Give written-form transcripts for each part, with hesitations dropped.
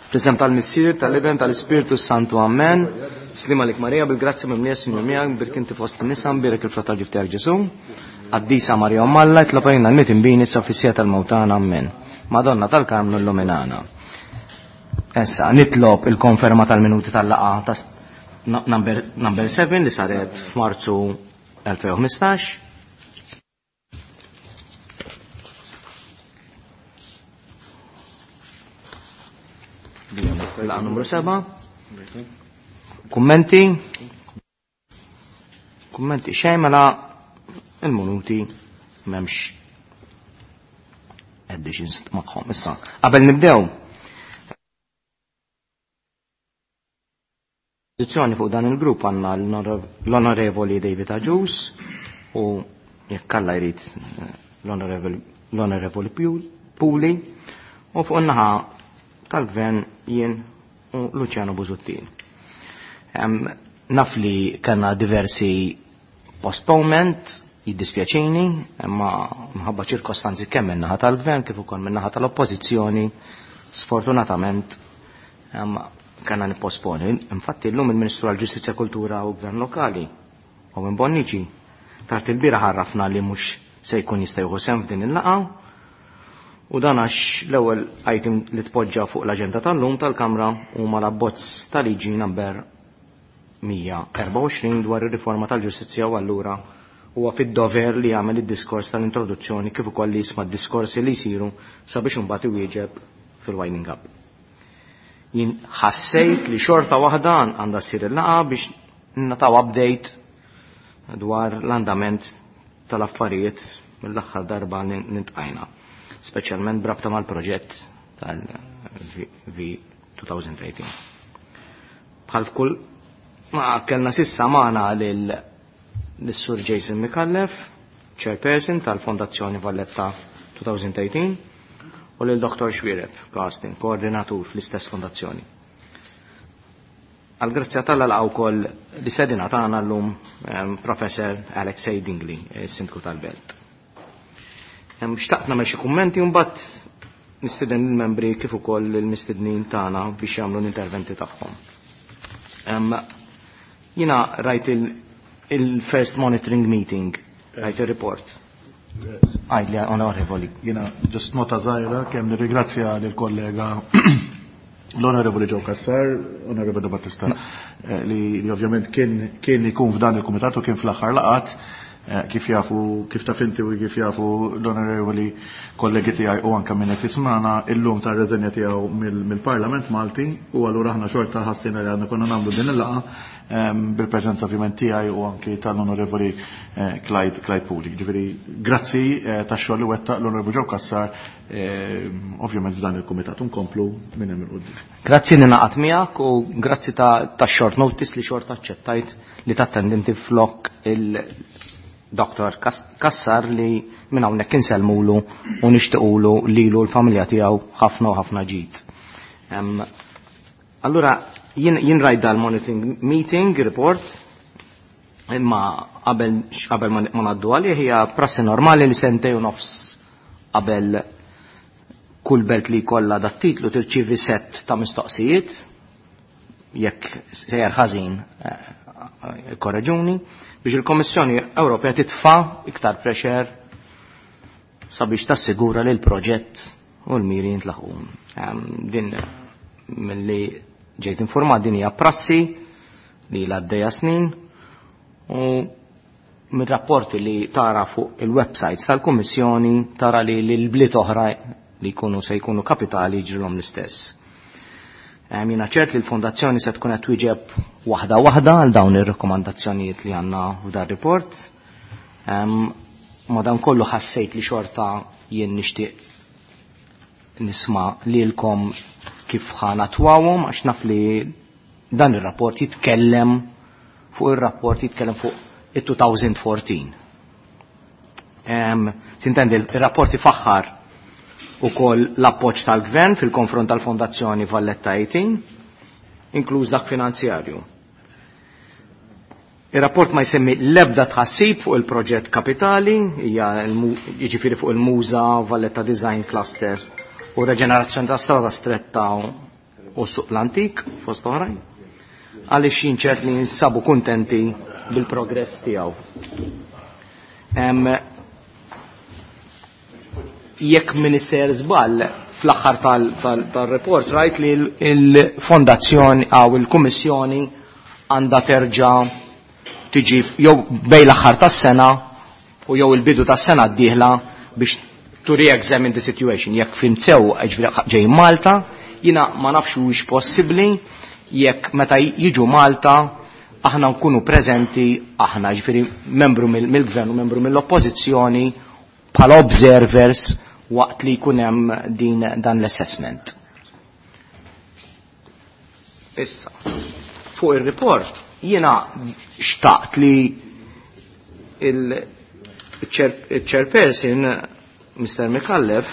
Fl-isem tal-Missier, tal-Iben, tal-Ispirtu Santu, Amen. Slima lik Marija, bil-grazzja mimlija Sinjur miegħek, birk inti fost in-nisa, mbierek il-frott tal-ġuf tiegħek Ġesu. Qaddisa Marija Omm Alla, itlob għalina l-mitinbin issa fis-siegħa tal-mewt tagħna, Amen. Madonna tal-Karmnu illuminana. Issa, nitlob il-konferma tal-minuti tal-laqgħa ta' number, number 7 li saret f'Marzu 2015. Laqa numru 7. Kummenti? Kummenti xejn mela il-minuti m'hemmx additions magħhom. Issa, qabel nibdew. Pożizzjoni fuq dan il-grupp għandna l-Onorevoli David Agius u jekk Alla jrid l-Onorevoli Puli u fuq in-naħa tal-Gvern jien u Luciano Busuttil. Naf li kellna diversi postponement, jiddispjaċini, imma mħabba ċirkostanzi kemm min-naħa tal-Gvern kif ukoll min-naħa tal-Oppożizzjoni, sfortunatament kellna nipposponi. Infatti llum il-Ministru għall-Ġustizzja, Kultura u Gvern Lokali, Owen Bonnici, tard il-bieraħ għarrafna li mhux se jkun jista' jieħu sehem f'din il-laqgħa u dan għax l-ewwel item li tpoġġa fuq l-aġenda tal-lum tal-Kamra huma l-abbozz ta' liġi number 124 dwar ir-riforma tal-ġustizzja u allura huwa fid-dover li jagħmel id-diskors tal-introduzzjoni kif ukoll li jisma' d-diskorsi li jsiru sabiex imbagħad iwieġeb fil-winding up. Jien ħassejt li xorta waħda għandha ssir il-laqgħa biex nataw update dwar l-andament tal-affarijiet mill-aħħar darba li nintqajna, speċjalment brabta mal-proġett tal-V2018. Bħal f'kull ma kellna sissa magħna lil lis-Sur Jason Micallef, Chairperson tal-Fondazzjoni Valletta 2018, u lil Dr. Xuereb Carsten, koordinatur fl-istess fondazzjoni. Għal-grazzja tal laqgħu wkoll li sedina tagħna llum Professor Alexei Dingli, sindku tal-Belt. Xtaqt nagħmel xi kummenti u mbagħad nistieden il-membri kif ukoll il-mistednin tagħna biex jagħmlu l-interventi tagħhom. Jiena rajt il-first monitoring meeting, rajt il-report. Għajli, onorevoli. Jiena just nota żgħira kemm nirringrazzja lill-kollega l-Onorevoli Joe Cassar, Onorevoli Battista, li ovvjament kien ikun f'dan il-kumitat u kien fl-aħħar laqat, kif jafu, kif taf inti u kif jafu l-onorevoli kollegi tiegħi u anke minn qed jismana illum ta' reżenja tiegħu mill-Parlament Malti u allura aħna xorta ħassina li għandna konna nagħmlu din il-laqgħa bil-preżenza ovvjament tiegħi u anki tal-Onorevoli Clyde Puli. Ġifieri grazzi tax-xogħol li wettaq l-Onorevoli Joe Cassar ovvjament f'dan il-kumitat nkomplu minn hemm il-quddiem. Grazzi li naqat miegħek u grazzi ta' short notice li xorta aċċettajt li tattendi inti flok il-Dr. Cassar li minn hawnhekk insellmulu u nixtiequlu lilu l-familja tiegħu ħafna u ħafna ġid. Allura jien rajt dal-monitoring meeting report imma qabel ma ngħaddu għalih hija prassi normali li sentej u nofs qabel kull belt li jkollha dat titlu tirċievi set ta' mistoqsijiet jekk sejjer ħażin korreġuni biex il-Kommissjoni Ewropea titfa' iktar pressure sabiex tassigura li l-proġett u l-miri jintlaħqu. Din milli ġejt informat din hija prassi li l-għaddejja snin u mir-rapporti li tara fuq il-websites tal-Kummissjoni tara li l-bliet oħra li jkunu se jkunu kapitali ġrilhom l-istess. Jiena ċert li l-fondazzjoni se tkun qed twieġeb waħda waħda għal dawn ir-rakkomandazzjonijiet li għandna f'dan report. Madankollu ħassejt li xorta jien nixtieq nisma' lilkom kif ħanatwawhom għax naf li dan ir-rapport jitkellem fuq ir-rapport jitkellem fuq it-2014. Sintendi, il-rapport ifaħħar ukoll l-appoġġ tal-Gvern fil-konfront tal-Fondazzjoni Valletta 18, inkluż dak finanzjarju. Il-rapport ma jsemmi l-ebda tħassib fuq il-proġett kapitali, hija jiġifieri fuq il-Muża, Valletta Design Cluster u reġenerazzjoni ta' strada stretta u suq l-antik fost oħrajn għaliex jien ċert li jinsabu kuntenti bil-progress tiegħu. Jekk minister żball fl-aħħar tal-report rajt li l-fondazzjoni għaw il-kummissjoni għandha terġa' tiġi jew bejn l-aħħar tas-sena u jew il-bidu tas-sena d-dieħla biex to re-examine the situation. Jekk fim sew ġej Malta, jina ma nafx hux possibbli jekk meta jiġu Malta aħna nkunu preżenti aħna ġifieri membru mill-gvern u membru mill-oppożizzjoni bħala observers waqt li jkun hemm din dan l-assessment. Issa, fuq ir-report jiena xtaqt li il-chairperson Mr. Mikallef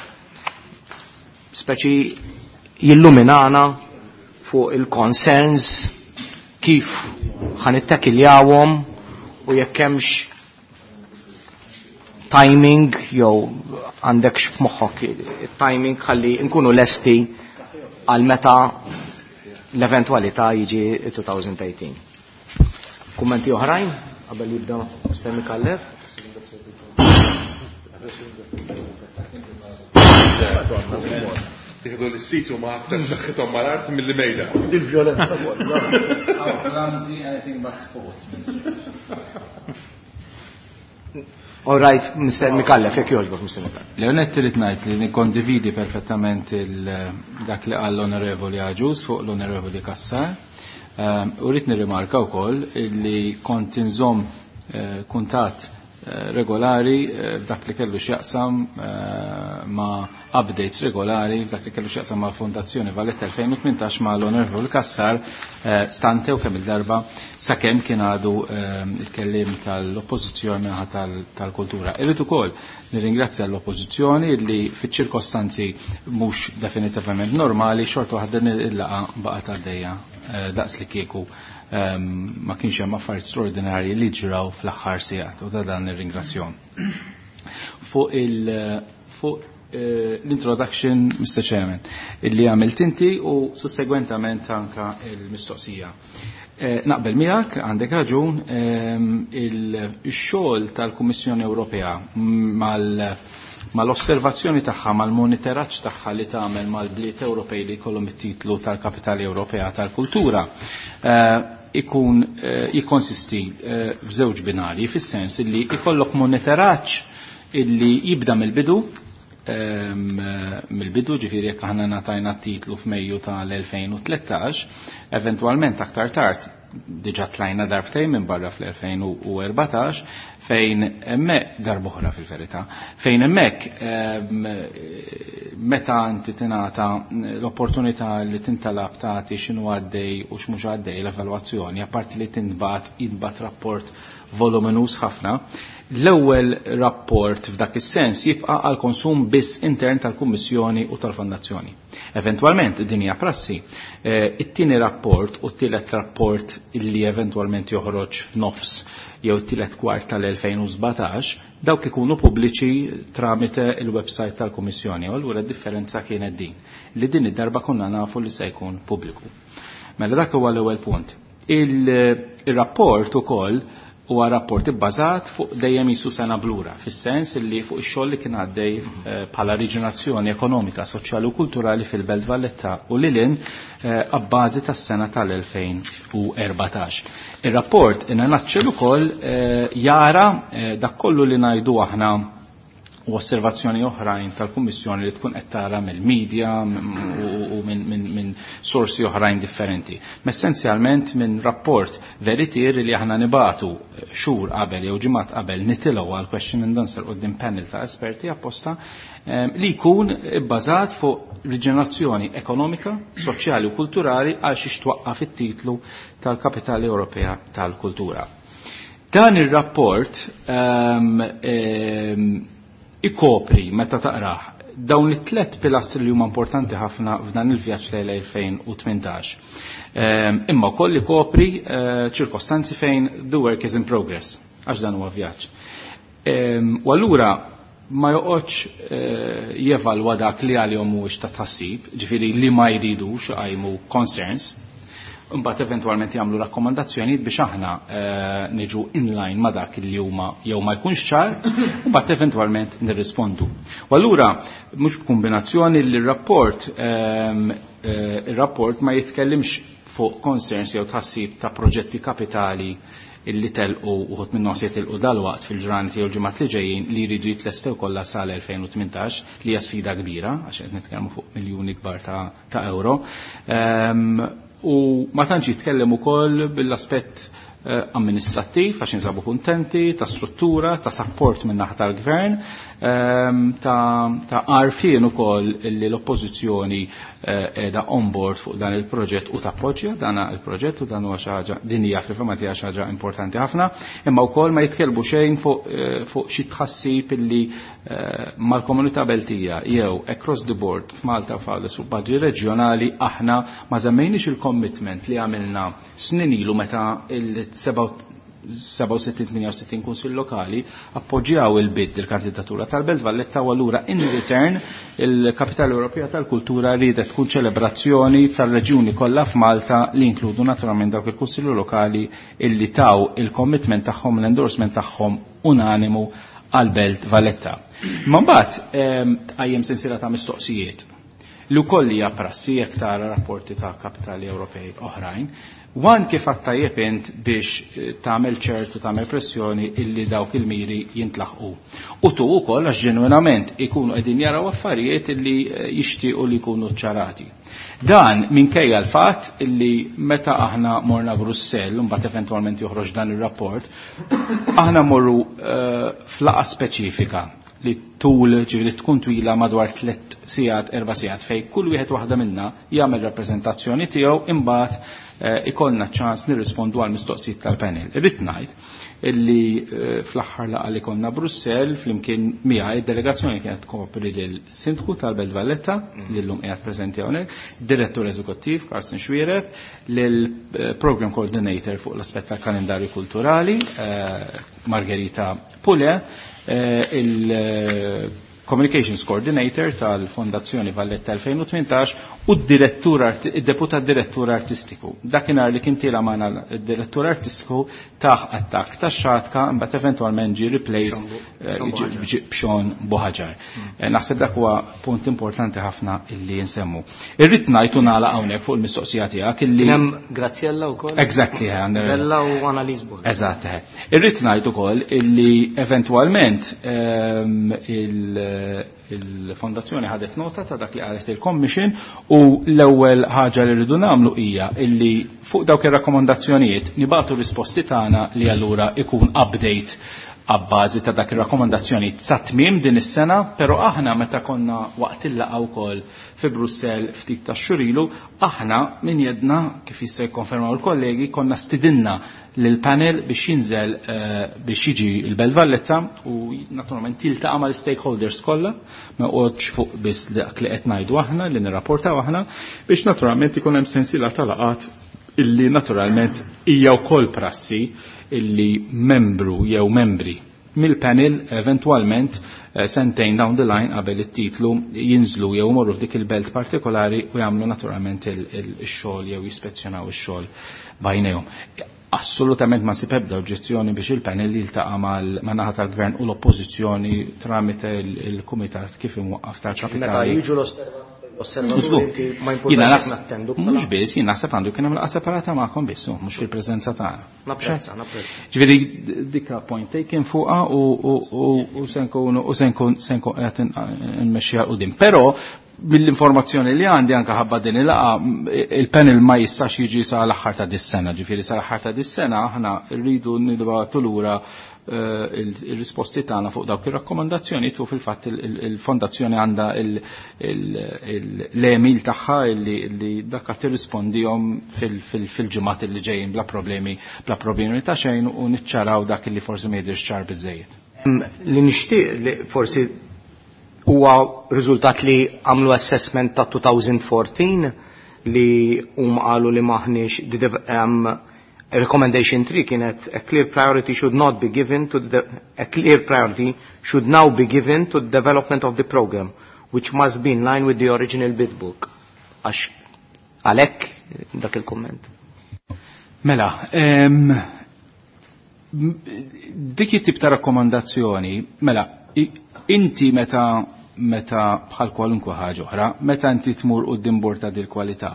speċi jilluminana fuq il-concerns kif ħanittakkiljawhom u jekk hemmx timing jew għandek f'moħħok timing ħalli nkunu lesti għal meta l-eventwalità jiġi 2018. Kummenti oħrajn qabel jibda Mr. Mikallef? Tieħdu l-sit u ma aktar saħħithom mal-art milli mejda. Il-vjolenza kollha. How clumsy anything but sports. All right, Mr. Mikallef, jekk jogħġbok, Mr. Mikallef. Leonet trid ngħid li nikkondividi perfettament dak li qal l-Onorevoli Aġus fuq l-Onorevoli Kassar. U rrid nirrimarka wkoll li kont inżomm kuntatt regolari f'dak li kellu x'jaqsam ma' updates regolari f'dak li kellu x'jaqsam ma' Fondazzjoni Valletta 2018 ma' l-Onorevoli Kassar stante u kemm il-darba sakemm kien għadu il-kellim tal-oppożizzjoni minħa tal-kultura. Irrid ukoll nirringrazzja l-oppożizzjoni li fiċ-ċirkostanzi mhux definitivament normali xorta waħda din il-laqgħa baqgħet għaddejja daqs li kieku ma kienx hemm affarijiet straordinarji li ġraw fl-aħħar sigħat u ta' dan nirringrazzjahom. Fuq l-introduction, Mr. Chairman, illi għamilt inti u sussegwentament anka il-mistoqsija. Naqbel miegħek, għandek raġun, il-xogħol tal-Kummissjoni Ewropea mal-osservazzjoni tagħha, mal-monitoraġġ tagħha li tagħmel mal-bliet Ewropej li jkollhom it-titlu tal-Kapitali Ewropea tal-Kultura ikun jikkonsisti f'żewġ binarji, fis-sens illi ikollok monitoraġġ illi jibda mill-bidu, ġifieri jekk aħna ngħatajna t-titlu f'Mejju tal-2013, eventwalment aktar tard diġà tlajna darbtejn minn barra fl-2014 fejn hemmhekk darb'oħra fil-verità, fejn hemmhekk meta inti tingħata l-opportunità li tintalab tagħti x'inhu għaddej u x'mhux għaddej l-evalwazzjoni, apparti li tinbagħat jintbagħat rapport voluminus ħafna. L-ewwel rapport f'dak is-sens jibqa' għal konsum biss intern tal-Kummissjoni u tal-Fondazzjoni. Eventwalment din hija prassi, it-tieni rapport u t-tielet rapport illi eventwalment joħroġ f'nofs jew t-tielet kwart tal-2017 dawk ikunu pubbliċi tramite il-website tal-Kummissjoni. U allura d-differenza kienet din, li din id-darba konna nafu li se jkun pubbliku. Mela dak huwa l-ewwel punt. Il-rapport ukoll huwa rapport ibbażat fuq dejjem jisu sena blura, fis-sens li fuq ix-xogħol li kien għaddej bħala riġenerazzjoni ekonomika, soċjali u kulturali fil-Belt Valletta u lilin abbażi tas-sena tal-2014. Ir-rapport in a nutshell ukoll jara dak kollu li ngħidu aħna u osservazzjoni oħrajn tal-Kummissjoni li tkun qed tara mill-medja u minn sorsi oħrajn differenti. Ma essenzjalment minn rapport veritier li aħna nibatu xhur qabel jew ġimgħat qabel nitilgħu għal question and answer quddiem panel ta' esperti apposta li jkun bbażat fuq riġenerazzjoni ekonomika, soċjali u kulturali għal xiex twaqqaf it-titlu tal-Kapitali Ewropea tal-Kultura. Dan ir-rapport ikopri meta taqrah dawn it-tlet pilastri li huma importanti ħafna f'dan il-vjaġġ lejn 2018. Imma wkoll ikopri ċirkostanzi fejn the work is in progress, għax dan huwa vjaġġ. U allura ma joqgħodx jevalwa dak li għalihom mhuwiex ta' tħassib, ġifieri li ma jridux iqajmu concerns, imbagħad eventwalment jagħmlu rakkomandazzjonijiet biex aħna niġu in line ma' dak li huma jew ma jkunx ċar, u mbagħad eventwalment nirrispondu. U allura mhux b'kombinazzjoni li r-rapport ir-rapport ma jitkellimx fuq concerns jew tħassib ta' proġetti kapitali illi telqu uħud minnhom se jitilqu dalwaqt fil-ġranet jew ġimgħat li ġejjin li jridu jitlestew kollha sal-2018, li hija sfida kbira għax qed nitkellmu fuq miljuni kbar ta' euro. U ma tantx jitkellem ukoll bil-aspett amministrattiv għax insabu kuntenti, ta' struttura, ta' support minn naħa tal-gvern, ta' għarfien ukoll li l-oppożizzjoni qiegħda on board fuq dan il-proġett u tappoġġja dan il-proġett, u dan huwa xi ħaġa, din hija fil-fehma tiegħi xi ħaġa importanti ħafna, imma wkoll ma jitkellmu xejn fuq xi tħassib illi mal-komunità Beltija jew across the board f'Malta u f'Għawdex u baġi reġjonali aħna ma żammejniex il-commitment li għamilna snin ilu meta il-67-68 kunsill lokali appoġġjaw il-bid il-kandidatura tal-Belt Valletta, u allura in return il-Kapitali Ewropea tal-Kultura riedet tkun ċelebrazzjoni tal-reġjuni kollha f'Malta li inkludu naturalment dawk il-kunsilli lokali illi taw il-commitment tagħhom, l-endorsement tagħhom unanimu għal-Belt Valletta. Ma mbagħad tqajjem sensiela ta' mistoqsijiet li wkoll hija prassi jekk tara rapporti ta' kapitali Ewropej oħrajn. One, kif għattajjeb int biex tagħmel ċertu tagħmel pressjoni illi dawk il-miri jintlaħqu. U tu wkoll għax ġenwinament ikunu qegħdin jaraw affarijiet illi jixtiequ li jkunu ċarati. Dan minkejja l-fatt illi meta aħna morna Brussell, mbagħad eventwalment joħroġ dan ir-rapport, aħna morru f'laqgħa speċifika li tul, ġifieri tkun twila madwar 3 sigħat, 4 sigħat, fej kull wieħed waħda minna jagħmel rappreżentazzjoni tiegħu, imbagħad ikollna ċans nirrispondu għal mistoqsijiet tal-panel. Irrid ngħid illi fl-aħħar laqgħa li konna Brussell flimkien miegħi id-delegazzjoni kienet tkopri lil Sindku tal-Belt Valletta, li llum qiegħed preżenti hawnhekk, Direttur Eżekuttiv Carsten Xuereb, lil Program Coordinator fuq l-aspett tal-kalendarju kulturali Margherita Pule, il Communications Coordinator tal-Fondazzjoni Valletta 2018 u d-deputat direttur artistiku. Dakinhar li kien tiela magħna d-direttur artistiku taħ attakk ta' xatka, imbagħad eventwalment ġie replaced b'Sean Buhagiar. Naħseb dak huwa punt importanti ħafna illi nsemmu. Irrid ngħid u nagħlaq hawnhekk fuq il-mistoqsija tiegħek illi Kien hemm Graziella wkoll? Exactly, Bella u Annalise Borg. Eżatt. Irrid ngħid ukoll illi eventwalment il-fondazzjoni ħadet nota ta' dak li qalet il-Commission, u l-ewwel ħaġa li rridu nagħmlu hija illi fuq dawk ir-rakkomandazzjonijiet nibagħtu risposti tagħna li allura ikun update għabbażi ta' dak ir-rakkomandazzjoni sa tmiem din is-sena, però aħna meta konna waqt il-laqgħa wkoll fi Brussell ftit ta' xhur ilu, aħna min jedna kif jista' jikkonfermaw il-kollegi konna stidinna lill-panel biex jinżel biex jiġi il-Belt Valletta u naturalment jiltaqa' mal-stakeholders kollha, ma joqgħodx fuq biss dak li qed ngħidu aħna li nirrapportaw aħna, biex naturalment ikun hemm sensiela ta' laqgħat illi naturalment hija wkoll prassi illi membru jew membri mill-panel eventwalment sentejn down the line qabel it-titlu jinżlu jew morru f'dik il-belt partikolari u jagħmlu naturalment il-xogħol jew jispezzjonaw ix-xogħol bajnejhom. Assolutament ma nsib ebda oġġezzjoni biex il-panel jiltaqa' man-naħa tal-gvern u l-oppożizzjoni tramite il-kumitat kif imwaqqaf tal-kapitali. Meta jiġu l-osservaturi inti ma Jiena importax naħseb nattendu mhux bħala- biss, jien naħseb għandu jkun hemm laqgħa separata magħkom biss, mhux fil-preżenza tagħna. Napprezza, napprezza. Ġifieri dikka point taken fuqha u se nkunu u se nkun se nkun qed nmexxiha 'l quddiem. Però mill-informazzjoni li għandi anke ħabba din il-laqgħa, il-panel ma jistax jiġi sa l-aħħar ta' dis-sena, ġifieri sa l-aħħar ta' dis-sena aħna rridu nibgħatu lura il-risposti tagħna fuq dawk ir-rakkomandazzjoni u fil-fatt il-fondazzjoni għandha l-email tagħha li dak qed tirrispondihom fil-ġimgħat li ġejjin bla problemi ta' xejn u niċċaraw dak li forsi ma jidhirx ċar biżejjed. Li nixtieq li forsi huwa riżultat li għamlu assessment ta' 2014 li huma qalu li maħniex Recommendation 3 kienet a clear priority should not be given to the a clear priority should now be given to the development of the program which must be in line with the original bid book. Għax għalhekk dak il-komment. Mela, dik it-tip ta' rakkomandazzjoni, mela, inti meta meta bħal kwalunkwe ħaġa oħra, meta inti tmur quddiem bord ta' dil-kwalità,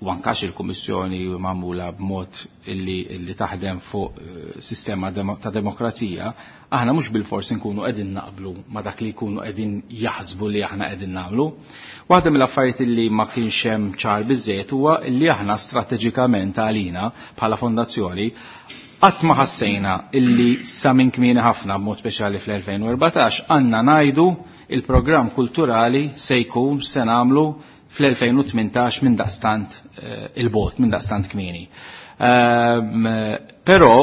u ankax il-Kummissjoni magħmula b'mod illi, illi taħdem fuq sistema ta' demokrazija, aħna mhux bil-fors nkunu qegħdin naqblu ma' dak li jkunu qegħdin jaħsbu li aħna qegħdin nagħmlu. Waħda mill-affarijiet illi ma kienx hemm ċar biżejjed huwa li aħna strateġikament għalina bħala fondazzjoni qatt ma ħassejna illi sa minn kmieni ħafna b'mod speċjali fl-2014 għandna ngħidu il-programm kulturali se jkun se nagħmlu fl-2018 minn daqstant il-bot, minn daqstant kmieni. Però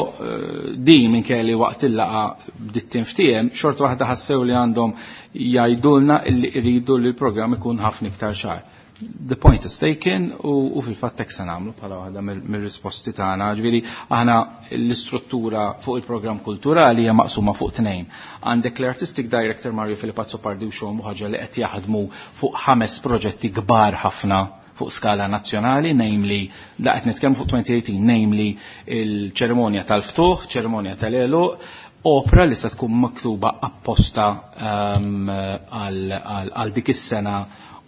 din minn kelli waqt il-laqa bdiet tinftiehem, xorta waħda ħassew li għandhom jgħidulna illi jridu li l-programm ikun ħafna iktar ċar. The point is taken u fil-fatt hekk se nagħmlu bħala waħda mir-risposti tagħna. Ġifieri aħna l-istruttura fuq il-programm kulturali hija maqsuma fuq tnejn. Għandek l-Artistic Director Mario Filippo Azzopardi u xogħol ħaġa li qed jaħdmu fuq 5 proġetti kbar ħafna fuq skala nazzjonali, namely, da qed nitkellmu fuq 2018, namely il-ċerimonja tal-ftuħ, ċerimonja tal-għeluq, opera li se tkun miktuba apposta għal dik is-sena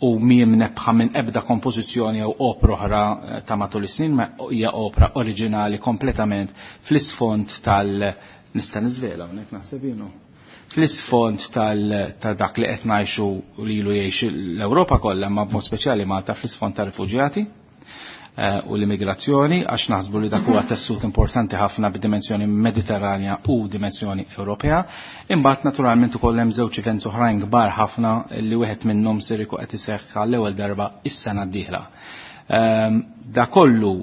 u miem nebħa minn ebda kompożizzjoni jew opra oħra ta' matul is-snin, ma hija opra oriġinali kompletament fl-isfond tal nista' niżvela hawnhekk naħseb jienu. Fl-isfond ta' dak li qed ngħixu lilu jgħix l-Ewropa kollha, ma b'mod speċjali Malta fl-isfond ta' rifuġjati u l-immigrazzjoni, għax naħsbu li dak huwa tessut importanti ħafna b'dimensjoni mediterranja u dimensjoni Ewropea. Imbagħad naturalment ukoll hemm żewġ events oħrajn kbar ħafna li wieħed minnhom ser ikun qed iseħħ għall-ewwel darba is-sena d-dieħla. Da kollu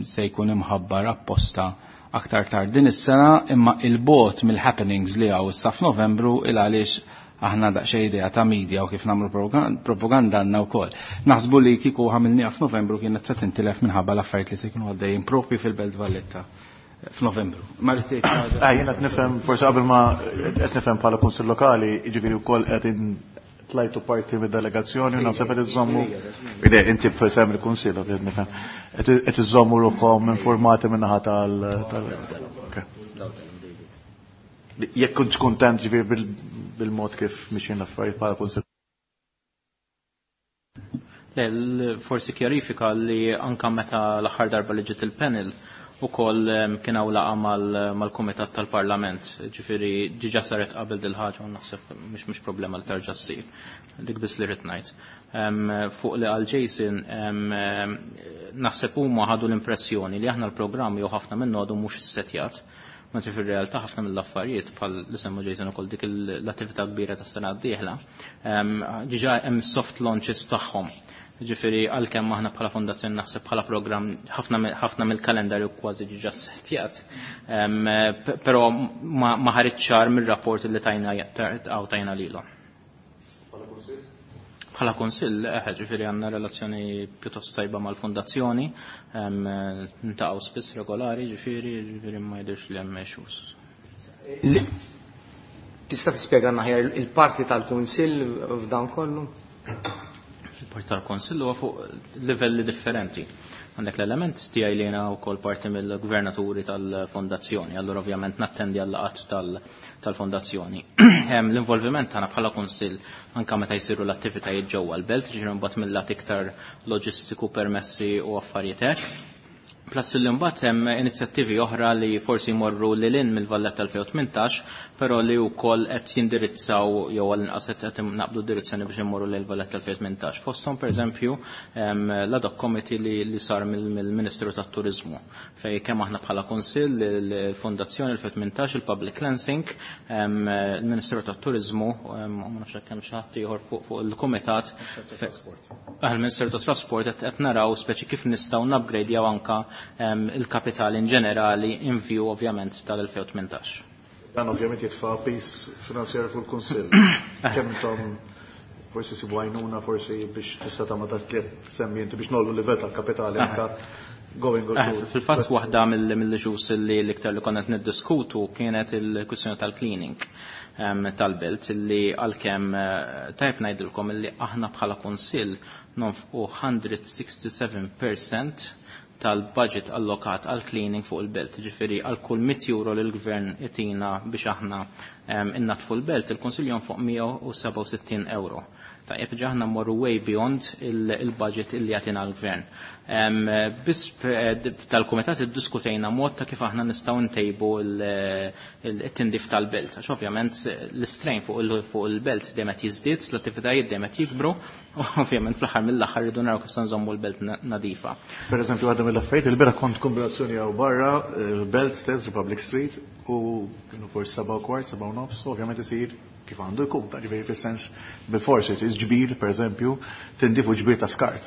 se jkun imħabbar apposta aktar tard din is-sena, imma il-bot mill-happenings li hawn issa f'Novembru il għaliex aħna daqsxejn idea ta' media u kif nagħmlu propaganda għandna wkoll. Naħsbu li kieku ħamilniha f'Novembru kienet se tintilef minħabba l-affarijiet li se jkunu għaddejjin propju fil-Belt Valletta f'Novembru. Ma rrid tgħid xi ħaġa? Jiena qed nifhem, forsi qabel ma qed nifhem bħala Kunsill Lokali, jiġifieri wkoll qed tlajtu parti mid-delegazzjoni u naħseb qed iżommu. Ide, inti b'isem il-Kunsill, qed nifhem. Qed iżommu ruħkom informati min-naħa tal- Ok. Jekk kontx kuntent ġifieri bil-mod kif mixjin l-affarijiet bħala Kunsill. Le, forsi kjarifika li anka meta l-aħħar darba li ġiet il-panel ukoll kien hawn laqgħa mal-Kumitat tal-Parlament, ġifieri ġiġa saret qabel dil ħaġa u naħseb mhux problema li terġa' ssir. Dik biss li rrid ngħid. Fuq li għal Jason, naħseb huma ħadu l-impressjoni li aħna l-programm jew ħafna minnu għadu mhux issettjat. Mentri fir-realtà ħafna mill-affarijiet bħal li semmu Jason ukoll dik l-attività kbira tas-sena d-dieħla, ġiġa hemm soft launches tagħhom. Ġifieri għalkemm aħna bħala fondazzjoni naħseb bħala programm ħafna mill-kalendarju kważi ġiġa settjat. Però ma ħareġ ċar mir-rapport li tajna lilhom. Bħala kunsill, ġifieri għandna relazzjoni pjuttost tajba mal-fondazzjoni, ntaqgħu spiss regolari, ġifieri ma jidhirx li hemm issues. Tista' tispjega aħjar il-parti tal-kunsill f'dan kollu? Il-parti tal-kunsill huwa fuq livelli differenti. Għandek l-element tiegħi li jiena wkoll parti mill-gvernaturi tal-fondazzjoni, allura ovvjament nattendi għal-laqgħat tal-fondazzjoni. L-involviment tagħna bħala kunsill anke meta jsiru l-attivitajiet ġewwa l-belt, ġifieri mbagħad mill-lat iktar loġistiku, permessi u affarijiet hekk. Plus li mbagħad hemm inizjattivi oħra li forsi jmorru lil hinn mill-Valletta 2018, però li wkoll qed jindirizzaw jew għall-inqas qed naqbdu direzzjoni biex immorru lil Valletta 2018. Fosthom pereżempju l-ad hoc committee li sar mill-Ministeru tat-Turiżmu, fej kemm aħna bħala Kunsill, il-Fondazzjoni 2018, il-Public Lancing, il-Ministeru tat-Turiżmu, ma nafx hekk hemm xi ħadd ieħor fuq il-kumitat. Il-Ministeru tat-Trasport qed naraw speċi kif nistgħu nupgradejaw anka il-kapital in ġenerali in view ovvjament tal-2018. Dan ovvjament jitfa' pis finanzjarju fuq il-Kunsill. Kemm intom forsi sibu għajnuna, forsi biex tista' tagħmel dak li qed semmi inti biex nollu livell tal-kapitali anka. going to. Fil-fatt waħda mill-issues li l-iktar li konna qed niddiskutu kienet il-kwistjoni tal-cleaning tal-belt li għalkemm tajb ngħidilkom illi aħna bħala kunsill nonfqu 167% tal-budget allokat għal cleaning fuq il-belt. Ġifieri għal kull 100 euro li l-gvern itina biex aħna innatfu l-belt, il-Kunsill jonfoq 167 euro. Tajjeb, ġa aħna mmorru way beyond il-budget illi jagħtina l-gvern. Biss tal-kumitat iddiskutejna mod ta' kif aħna nistgħu ntejbu it-tindif tal-belt. Għax ovvjament l-istrain fuq il-belt dejjem qed jiżdied, l-attivitajiet dejjem qed jikbru, u ovvjament fl-aħħar mill-aħħar rridu naraw kif se nżommu l-belt nadifa. Per eżempju, għadha mill-affarijiet, il-bieraħ kont kombinazzjoni hawn barra, il-belt stess, Republic Street, u kienu forsi 7:15, 7:30, ovvjament isir kif għandu jkun, ta' ġifieri fis-sens bil-forsi ġbir, per eżempju, tindifu ġbir ta' skart.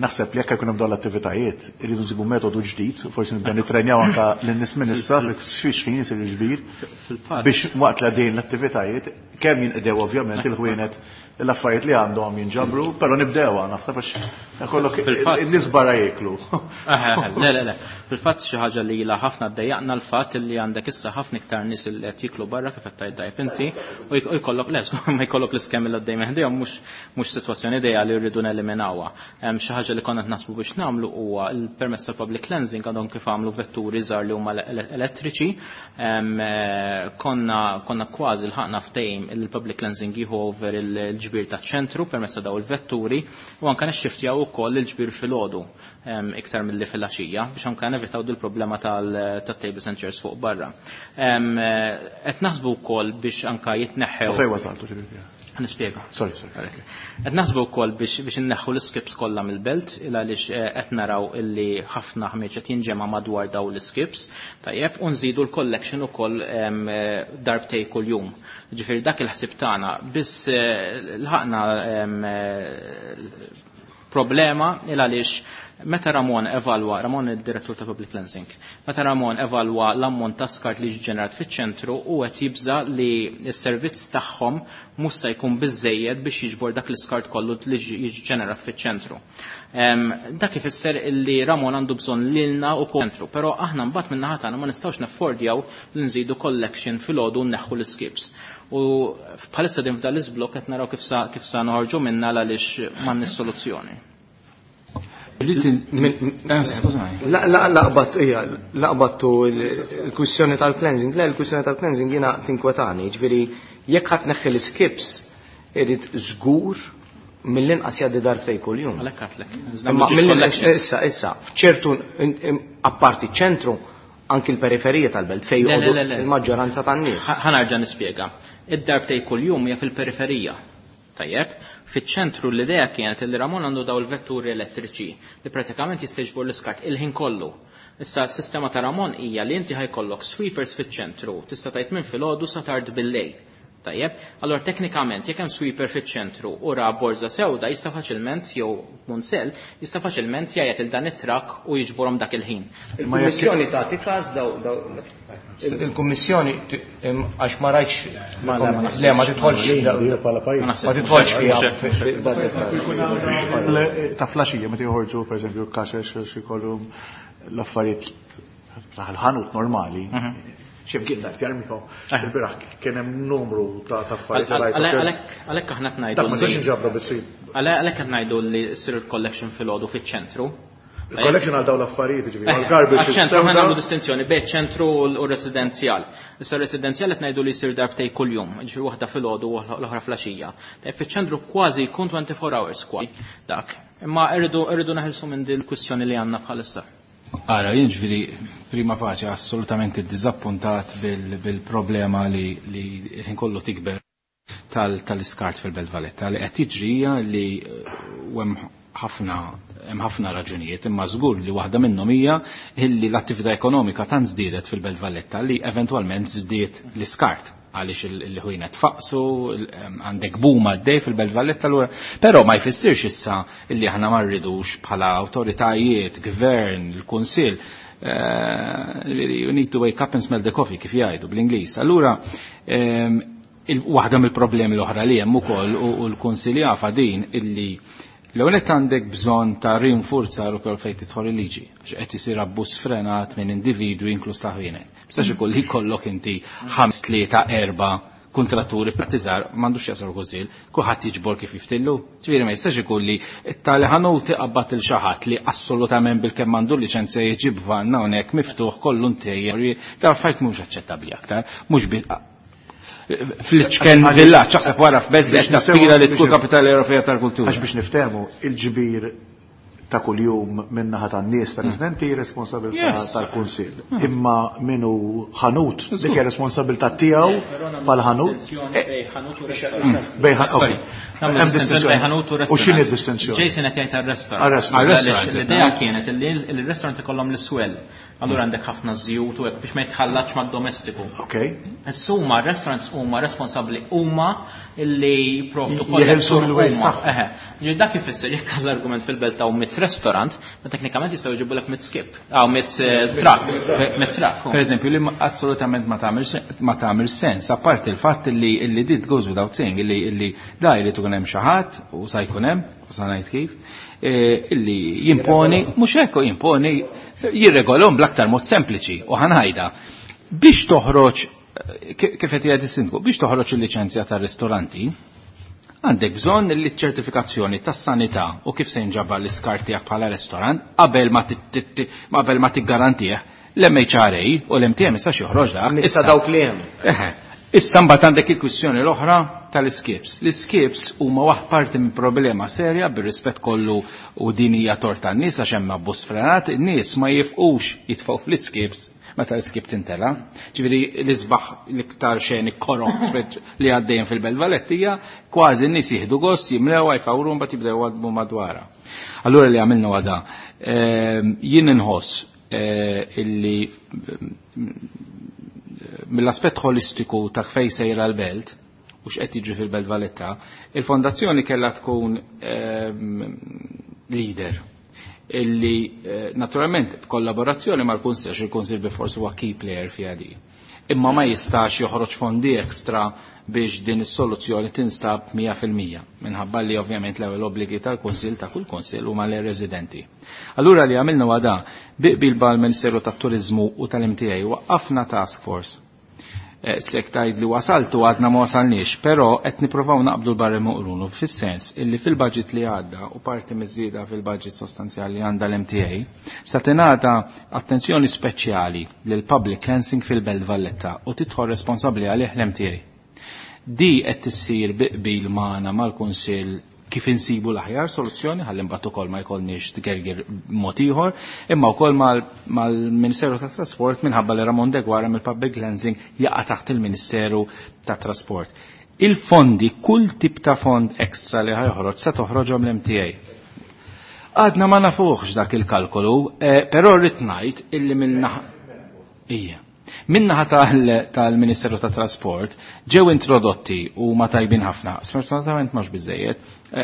Naħseb li jekk jkun hemm dawn l-attivitajiet, irridu nsibu metodu ġdid, forsi nibdew nitrenjaw anke lin-nies minn issa fix ħin isir il-ġbir biex waqt li għaddejjin l-attivitajiet kemm jinqdew ovvjament il-ħwienet l-affarijiet li għandhom jinġabru, però nibdewha naħseb għax kollok in-nies barra jieklu. Le, le, le. Fil-fatt xi ħaġa li ilha ħafna ddejjaqna l-fatt li għandek issa ħafna iktar nies li qed jieklu barra kif qed tgħid dajb inti u jkollok le, ma jkollok l-iskemm li għaddej meħdejhom mhux sitwazzjoni ideali rridu neliminawha. Xi ħaġa li konna qed naħsbu biex nagħmlu huwa l-permezz tal-public cleansing għandhom kif għamlu vetturi żgħar li huma elettriċi. Konna kważi lħaqna ftehim il-public cleansing jieħu over il-ġbir taċ-ċentru permezz ta' daw il-vetturi u anke nixxiftjaw ukoll il-ġbir filgħodu iktar milli fil-għaxija biex anke nevitaw dil-problema tat-tables and chairs fuq barra. Qed naħsbu wkoll biex anke jitneħħew. Fejn wasaltu ġifieri? Nispjega. Sorry, sorry. Qed naħsbu wkoll biex inneħħu l-skips kollha mill-belt il għaliex qed naraw illi ħafna ħmieġ qed jinġema' madwar daw l-skips, tajjeb, u nżidu l-collection ukoll darbtej kuljum. Ġifieri dak il-ħsieb tagħna biss lħaqna problema il għaliex meta Ramon evalwa, Ramon il-direttur ta' Public Cleansing, meta Ramon evalwa l-ammont ta' skart li ġenerat fiċ-ċentru u qed jibża li s-servizz tagħhom mhux se jkun biżejjed biex jiġbor dak l-iskart kollu li ġenerat fiċ-ċentru. Dak ifisser li Ramon għandu bżonn lilna u ċentru, però aħna mbagħad min-naħa tagħna ma nistgħux naffordjaw li nżidu collection filgħodu nneħħu l-skips. U bħalissa din f'dan l-iżblokk qed naraw kif sa noħorġu minna għaliex m'għandniex soluzzjoni. Laqbattu il-kwistjoni tal-cleansing. Le, il-kwistjoni tal-cleansing jiena tinkwetani, ġifieri jekk ħadd neħħi l-skips irid żgur mill-inqas jgħaddi darbtejn kuljum. Għalhekk għadlek. Imma issa, issa, f'ċertu apparti ċentru anki l-periferija tal-belt fejn joqogħdu il-maġġoranza tan-nies. Ħa nerġa' nispjega. Id-darbtejn kuljum hija fil-periferija. Tajjeb, fiċ-ċentru l-idea kienet li Ramon għandu daw il-vetturi elettriċi li pratikament jista' jiġbor l-iskart il-ħin kollu. Issa s-sistema ta' Ramon hija li inti ħajkollok sweepers fiċ-ċentru, tista' tgħid minn filgħodu sa tard bil-lejl. Tajjeb, allora teknikament jekk hemm sweeper fiċ-ċentru u ra borża sewda jista' faċilment jew munsell jista' faċilment jgħajjat il dan it-trakk u jiġborhom dak il-ħin. Il-Kummissjoni tagħti każ daw il-Kummissjoni għax ma rajtx le ma tidħolx ma tidħolx fiha. Ta' flaxija meta joħorġu pereżempju kaxex xi jkollu l-affarijiet tal-ħanut normali. Ximkien dak jarmihom. Il-biraħ kien hemm numru ta' affarijiet li rajtu. Għalhekk aħna qed ngħidu. Dak ma tistax inġabru biss. Għalhekk qed ngħidu li ssir il-collection filgħodu fiċ-ċentru. Il-collection għal dawn l-affarijiet, jiġifieri, għal garbage. Għaċ-ċentru aħna nagħmlu distinzjoni bejn ċentru u residenzjal. Issa residenzjal qed ngħidu li jsir darbtej kuljum, jiġifieri waħda filgħodu u l-oħra flaxija. Tajjeb fiċ-ċentru kważi jkun 24 hours kważi dak. Imma irridu naħilsu minn din il-kwistjoni li għandna bħalissa. Ara, jien ġifieri prima faċe assolutament iddizappuntat bil-problema li ħin kollu tikber tal-iskart fil-Belt Valletta li qed tiġri hija li hemm ħafna raġunijiet, imma żgur li waħda minnhom hija li l-attività ekonomika tant żdiedet fil-Belt Valletta li eventwalment żdied l-iskart għaliex il-ħwienet faqsu, għandek boom għaddej fil-Belt Valletta allura, però ma jfissirx issa illi aħna ma rridux bħala awtoritajiet, gvern, il-kunsill, you need to wake up and smell the coffee kif jgħidu bl-Ingliż. Allura waħda mill-problemi l-oħra li hemm ukoll u l-kunsill jafa din illi L-ewwel qed għandek bżonn ta' rinforzar ukoll fejn tidħol il-liġi, għax qed isir abbuż sfrenat minn individwi inkluż ta' ħwienet. Mistax ikun li jkollok inti 5, 3, 4 kontratturi pratizzar m'għandux jasal kunsill, kulħadd jiġbor kif jiftillu. Ġifieri ma jistax ikun li tali ħanut iqabbad il xi ħadd li assolutament bilkemm għandu liċenzja jiġib vanna hawnhekk miftuħ kollu ntejjer. Da affarijiet mhux aċċettabbli aktar, mhux fl-ċken villaġġ, aħseb wara f'belt li qed naspira li tkun kapitali Ewropea tal-kultura. Għax biex niftehmu, il-ġbir ta' kuljum min-naħa tan-nies ta' residenti responsabilità tal-kunsill. Imma minu ħanut, dik hija responsabilità tiegħu bħala ħanut. Bejn ħanut u restaurant. U x'inhi d-distinzjoni? Jason qed jgħid għar-restaurant. L-idea kienet li l-restaurant ikollhom l-iswell. Allura għandek ħafna żjut u hekk biex ma jitħallatx mad-domestiku. Okay. Issa huma restaurants huma responsabbli huma li jipprovdu Jeħilsu mill-waste tagħhom. Ġifieri dak ifisser jekk l-argument fil-belt hawn mit restaurant, ma teknikament jistgħu jġibulek mit skip, hawn mit truck, mit truck. Per eżempju, li assolutament ma tagħmel sens, apparti il-fatt li dit goes without saying, illi da jrid ikun hemm xi ħadd u sa jkun hemm, u sa ngħid kif, illi jimponi, mhux hekk jimponi, jirregolhom bl-aktar mod sempliċi u ħanajda. Biex toħroġ, kif qed jgħid is-sindku, biex toħroġ il-liċenzja tar-ristoranti, għandek bżonn li ċ-ċertifikazzjoni tas-sanità u kif se jinġabar l-iskart tiegħek bħala restorant qabel ma tiggarantih l-MHRA u l-MTM issa joħroġ dak. Issa dawk li hemm. Issa mbagħad għandek il-kwistjoni l-oħra tal-skips. L-skips huma waħ parti minn problema serja bir-rispett kollu u din hija tort tan-nies għax hemm abbuż frenat, in-nies ma jifqux jitfgħu fl-skips meta l-skip tintela. Ġifieri l-isbaħ l-iktar xeni korok li għaddejjem fil-Belt Valettija, kważi n-nies jieħdu gost, jimlewha, jfawru mbagħad jibdew għadmu madwarha. Allura li għamilna għada, jien inħoss illi mill-aspett holistiku ta' fejn sejra l-belt u x'qed jiġri fil-Belt Valletta, il-fondazzjoni kellha tkun leader illi naturalment b'kollaborazzjoni mal-Kunsill, għax il-Kunsill bi forsi huwa key player fiha di. Imma ma jistax joħroġ fondi ekstra biex din is-soluzzjoni tinstab 100% minħabba li ovvjament l-ewwel obbligi tal-Kunsill ta' kull Kunsill huma lir-residenti. Allura li għamilna huwa da, bi qbil mal-Ministeru tat-Turiżmu u tal-MTA waqqafna task force. Sek tgħid li wasaltu għadna ma wasalniex, però qed nippruvaw naqbdu l-barri muqrunu fis-sens illi fil-budget li għadda u parti miż-żieda fil-budget sostanzjali għandha l-MTA sa tingħata attenzjoni speċjali lil public cleansing fil-Belt Valletta u tidħol responsabbli għalih l-MTA. Di qed tissir bi qbil magħna mal-Kunsill kif insibu l-aħjar soluzzjoni ħalli mbagħad ukoll ma jkollniex tgergir mod ieħor, imma wkoll mal-Ministeru tat-Trasport minħabba li Ramon Deguara mill-Public Cleansing jaqa' taħt il-Ministeru tat-Trasport. Il-fondi, kull tip ta' fond ekstra li ħajħroġ sa toħroġhom l-MTA. Għadna ma nafuħx dak il-kalkolu, però rrid ngħid illi minnaħa Ija. Minnaħa tal-Ministeru tat-Trasport ġew introdotti u ma tajbin ħafna, sfortunatament mhux biżejjed,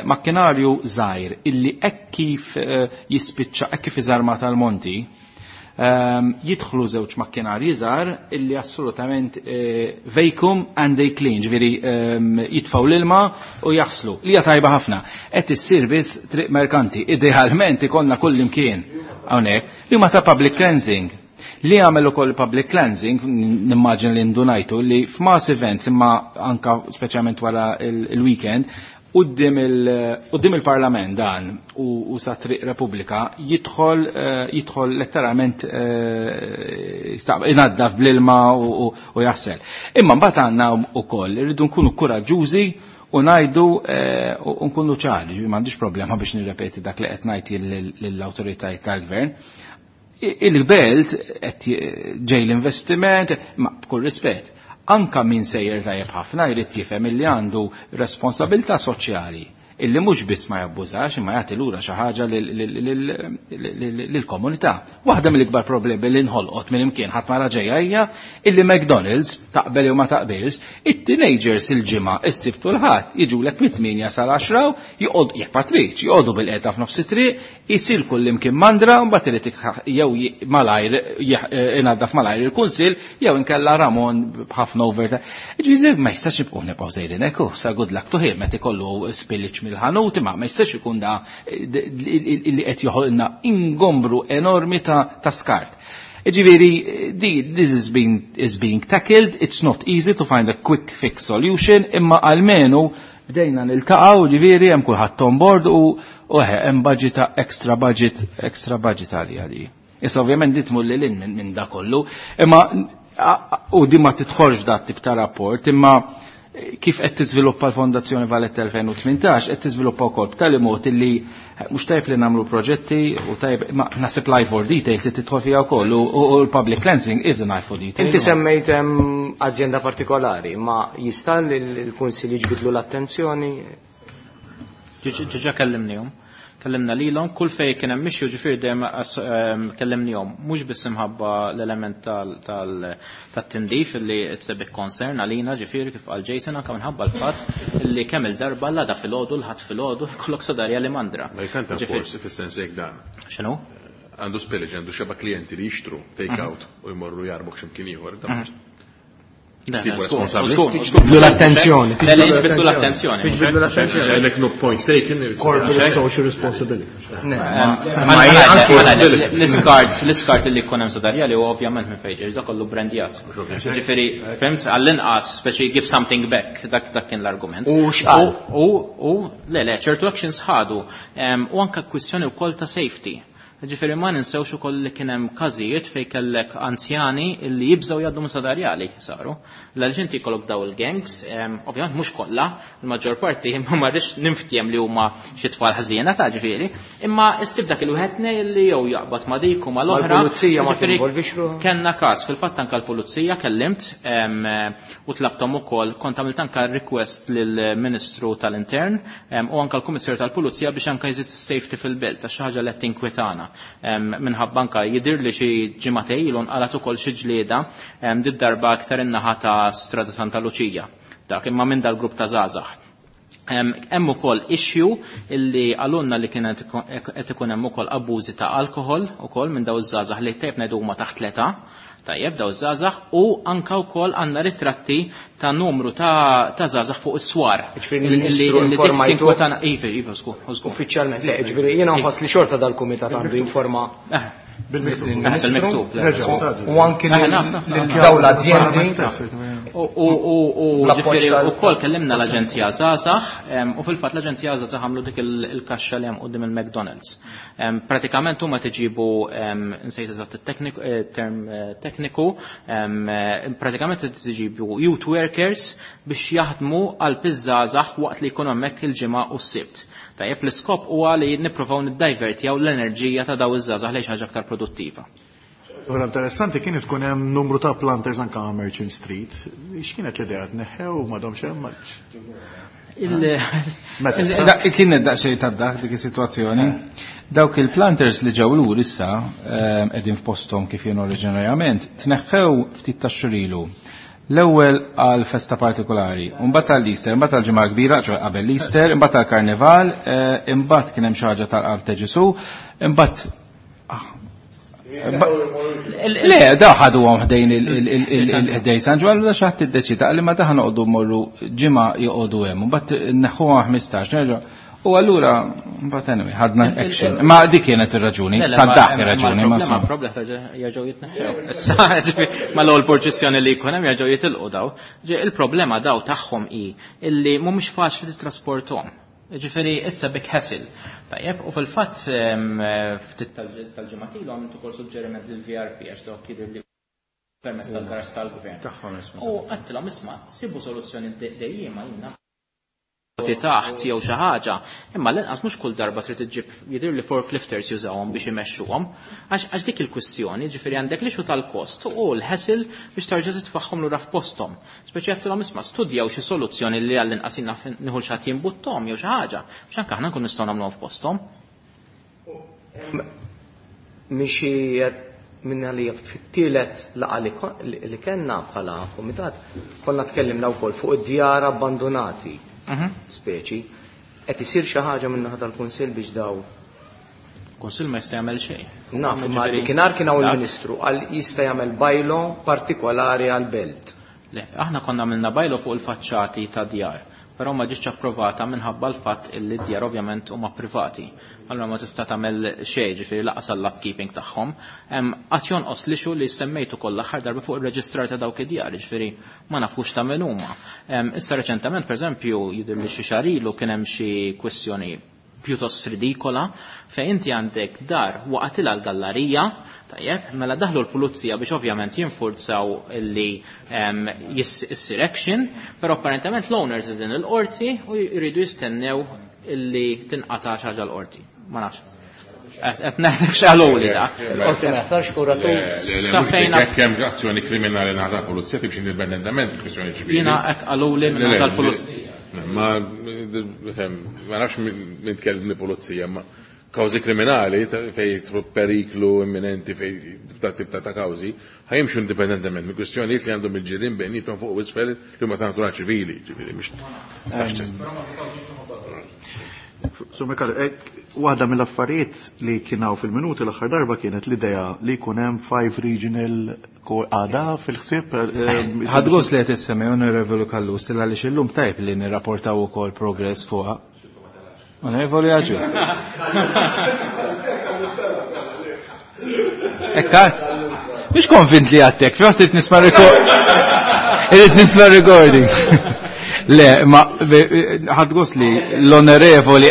makkinarju żgħir illi hekk kif jispiċċa, hekk kif iżarma tal-monti, jidħlu żewġ makkinarji żgħar illi assolutament vacuum and they clean, ġifieri jitfgħu l-ilma u jaħslu. Li hija tajba ħafna. Qed issir biss triq merkanti, idealment ikollna kull imkien hawnhekk li huma ta' public cleansing. Li għamel ukoll public cleansing, nimmaġin li ndunajtu li f'mass events imma anka speċjalment wara il-weekend, quddiem il-Parlament dan u sa Triq Repubblika jidħol letteralment inaddaf bl-ilma u jaħsel. Imma mbagħad għandna wkoll irridu nkunu kuraġġużi u ngħidu u nkunu ċari, m'għandix problema biex nirrepeti dak li qed ngħid lill-awtoritajiet tal-gvern. Il-belt qed ġej l-investiment, ma b'kull rispett, anka min sejjer tajjeb ħafna jrid jifhem illi għandu responsabilità soċjali illi mhux biss ma jabbużax imma jagħti lura xi ħaġa lill-komunità. Waħda mill-ikbar problemi li nħolqot minn imkien ħadd ma raġejja hija illi McDonald's taqbel jew ma taqbilx, it-teenagers il-ġimgħa is-Sibt u l-Ħadd jiġulek mit-8 sal-10 joqgħod jekk ma tridx, joqogħdu bil-qiegħda f'nofs it-triq, isir kull imkien mandra u mbagħad irid jew malajr inaddaf malajr il-kunsill jew inkella Ramon b'ħafna overtime. Ġifieri ma jistax nibqgħu nibqgħu sejrin hekk, sa good luck to him meta ikollu spillage mill-ħanut, imma ma jistax ikun da li qed joħolna ingombru enormi ta' skart. Ġifieri, this is being tackled, it's not easy to find a quick fix solution, imma almenu bdejna niltaqgħu, ġifieri hemm kulħadd on board u hemm budget extra budget, extra budget għalija di. Issa ovvjament di tmur lil hinn minn da kollu, imma u di ma tidħolx da tip ta' rapport, imma kif qed tiżviluppa l-Fondazzjoni Valletta 2018, qed tiżviluppa wkoll b'tali mod illi mhux tajjeb li nagħmlu proġetti u tajjeb, ma naħseb l-eye for detail trid tidħol fiha wkoll u l-public cleansing is an eye for detail. Inti semmejt azienda partikolari, ma jista' l-Kunsill jiġbidlu l-attenzjoni? Ġiġa kellimnihom. Kellimna lilhom, kull fejn kien hemm issue, ġifieri dejjem kellimnihom, mhux biss imħabba l-element tat-tindif li it's a big concern għalina, ġifieri kif qal Jason, anke minħabba l-fatt li kemm il-darba l-għada filgħodu, l-ħadd filgħodu, jkollok sadarja li mandra. Ma jkanta Ġifieri forsi fis-sens jekk dan. X'inhu? Għandu spillage, għandu xeba klienti li jixtru take out u jmorru jarbok x'imkien ieħor, dan Le, Sibu le, skur, responsabli. skur, skur. Tiġbidlu l-attenzjoni. Le, le, jiġbidlu l-attenzjoni. Tiġbidlu l-attenzjoni. Like no points taken. Corporate social responsibility. Ne, Ma ma hija anke l-iskart li jkun hemm sadarja li huwa ovvjament minn fejn ġej, dak kollu brandjat. Ġifieri, fimt, għall-inqas speċi give something back, dak kien l-argument. U x'qal? U le, le, ċertu actions ħadu, u anke kwistjoni wkoll ta' safety. Ġifieri ma ninsewx ukoll li kien hemm każijiet fejn kellek anzjani li jibżgħu jgħaddu minn sadarjali saru. Għaliex inti jkollok daw il-gangs, ovvjament mhux kollha, il-maġġor parti imma ma rridx ninftiem li huma xi tfal ħżiena ta' ġifieri, imma issib dak il-wieħed nej li jew jaqbad ma' dik u ma' l-oħra. Mal-pulizija ma Ġifieri, tinvolvix ruħha? Kellna każ, fil-fatt anke l-pulizija kellimt, u tlabthom ukoll, kont għamilt anke request lill-Ministru tal-Intern, u anke l-Kummissarju tal-Pulizija biex anke jżid is-safety fil-belt, għax xi ħaġa li qed tinkwetana. Minħabba anke jidhir li xi ġimagħtej ilu nqalat ukoll xi ġlieda, did-darba aktar in-naħa ta' Strada Santa Luċija. Dak imma minn dal-grupp ta' żgħażagħ. Hemm ukoll issue illi għalunna li kienet qed ikun hemm ukoll abbużi ta' alkohol ukoll minn daw iż-żgħażagħ li tajjeb ngħidu huma taħt l-età. Tajjeb daw iż-żgħażagħ u anke wkoll għandna ritratti ta' numru ta' żgħażagħ fuq is-swar. Ġifieri l-Ministru Illi dik informajtu? tinkwetana- Iva, iva, żgur, żgur. Uffiċjalment, le, ġifieri jiena nħoss li xorta dal-kumitat għandu jinforma Bil-miktub. lill-Ministru. Bil-miktub, le. Reġgħu, taġu. U anki Naf, naf, naf. lil dawn l-azjendi. U L-appoġġ ġifieri tal- ukoll kellimna l-Aġenzija Żgħażagħ, u fil-fatt l-Aġenzija Żgħażagħ għamlu dik il-kaxxa li hemm quddiem il-McDonald's. Pratikament huma tiġibu, nsejt eżatt it-tekniku, term tekniku, pratikament tiġibu youth workers biex jaħdmu għal piżżgħażagħ waqt li jkunu hemmhekk il-ġimgħa u s-Sibt. Tajjeb, l-iskop huwa li nippruvaw niddivertjaw l-enerġija ta' daw iż-żgħażagħ lejn xi ħaġa aktar produttiva. Ora interessanti kien tkun hemm numru ta' planters anke Merchant Street. X'kienet l-idea tneħħew m'għadhomx hemm? Meta issa? Kienet daqsxejn ta' dak dik is-sitwazzjoni. Dawk il-planters li ġew lur issa qegħdin f'posthom kif kienu oriġinarjament, tneħħew ftit ta' xurilu. L-ewwel għal festa partikolari, u mbagħad għall-Easter, imbagħad għall-Ġimgħa Kbira, ċoe qabel l-Easter, imbagħad għall-Karnival, imbagħad kien hemm xi ħaġa tal-Qalb ta' Ġesu, imbagħad Le, da ħadu għom ħdejn ħdejn San Ġwann, da xi ħadd iddeċida li ma daħ noqogħdu mmorru ġimgħa joqogħdu hemm, u mbagħad neħħuha 15, nerġa'. U allura, mbagħad anyway, ħadna action. Ma dik kienet ir-raġuni, Le, le, ta' ma dak hemm ir-raġuni, ma problema, insomma. problema ta' jerġgħu jitneħħew. Issa, ġifieri, ma l-ewwel purċissjoni li jkun hemm jerġgħu jitilqu daw. Ġi, il-problema daw tagħhom hi illi mhumiex faċli titrasporthom. Ġifieri, it's a big hassle. Tajjeb, u fil-fatt, ftit tal-ġimgħat ilu għamilt ukoll suġġeriment lil VRP għax dawk jidher li permezz tal-garaġġ tal-gvern. Tagħhom responsabbli. U għedtilhom isma' sibu soluzzjoni dejjema jiena taħt jew xi ħaġa, imma l-inqas mhux kull darba trid iġġib jidher li forklifters jużawhom biex imexxuhom, għax dik il-kwistjoni, ġifieri għandek l-issue tal-kost u l-hassle biex tarġa' titfaħħom lura f'posthom. Speċi għedtilhom isma' studjaw xi soluzzjoni li għall-inqas jiena nieħu xi ħadd jimbutthom jew xi ħaġa, biex anke aħna nkunu nistgħu nagħmluhom f'posthom. Mixi minna li fit-tielet laqa li kellna bħala kumitat, konna tkellimna wkoll fuq id-djar abbandonati. Speċi, qed isir xi ħaġa minn naħa tal-Kunsill biex daw. Kunsill ma jista' jagħmel xejn. Naf, ma Ġifieri kienar kien hawn dak. il-Ministru għal jista' jagħmel bylaw partikolari għal belt. Le, aħna konna għamilna bylaw fuq il-faċċati ta' djar. Però ma ġietx approvata minħabba l-fatt illi d-djar ovvjament huma privati. Allura ma tista' tagħmel xejn ġifieri laqas għall-upkeeping tagħhom. Qatt jonqos li xu li semmejtu kollha aħħar darba fuq ir-reġistrar ta' dawk id-djar, ġifieri ma nafux ta' min huma. Issa reċentement pereżempju jidher li xi xahar ilu kien hemm xi kwestjoni pjuttost ridikola fejn inti għandek dar waqatilha l-gallarija, tajjeb, mela daħlu l-pulizija biex ovvjament jinfurzaw illi issir action, però apparentement l-owners din il-qorti u jridu jistennew illi tinqata' xi ħaġa l-qorti. Ma nafx. Qed ngħidlek x'qaluli da. Qorti ma jaħtarx kuratur. Sa fejn Jekk hemm azzjoni kriminali naħa tal-pulizija timxi indipendentement il-kwistjoni ċivili. Jiena hekk qaluli minn naħa tal-pulizija. Ma ma nafx min tkellem mill-pulizija, ma kawżi kriminali fej jidħlu periklu imminenti fej dak tip ta' kawżi, ħajimxu indipendentement minn kwistjonijiet li għandhom il-ġirien bejniethom fuq u isfel li huma ta' natura ċivili, ġifieri mhux Sur Micallef, waħda mill-affarijiet li kien hawn fil-minuti l-aħħar darba kienet l-idea li jkun hemm 5 regional għada fil-ħsieb. Ħadd gost li qed issemmi Onorevoli Callus għaliex illum tajb li nirrapportaw ukoll progress fuqha. Onorevoli Agius. Ekka, mhux konvint li għattek, fi waqt nisma' irrid nisma' recording. Le, ma ħadd gost li l-onorevoli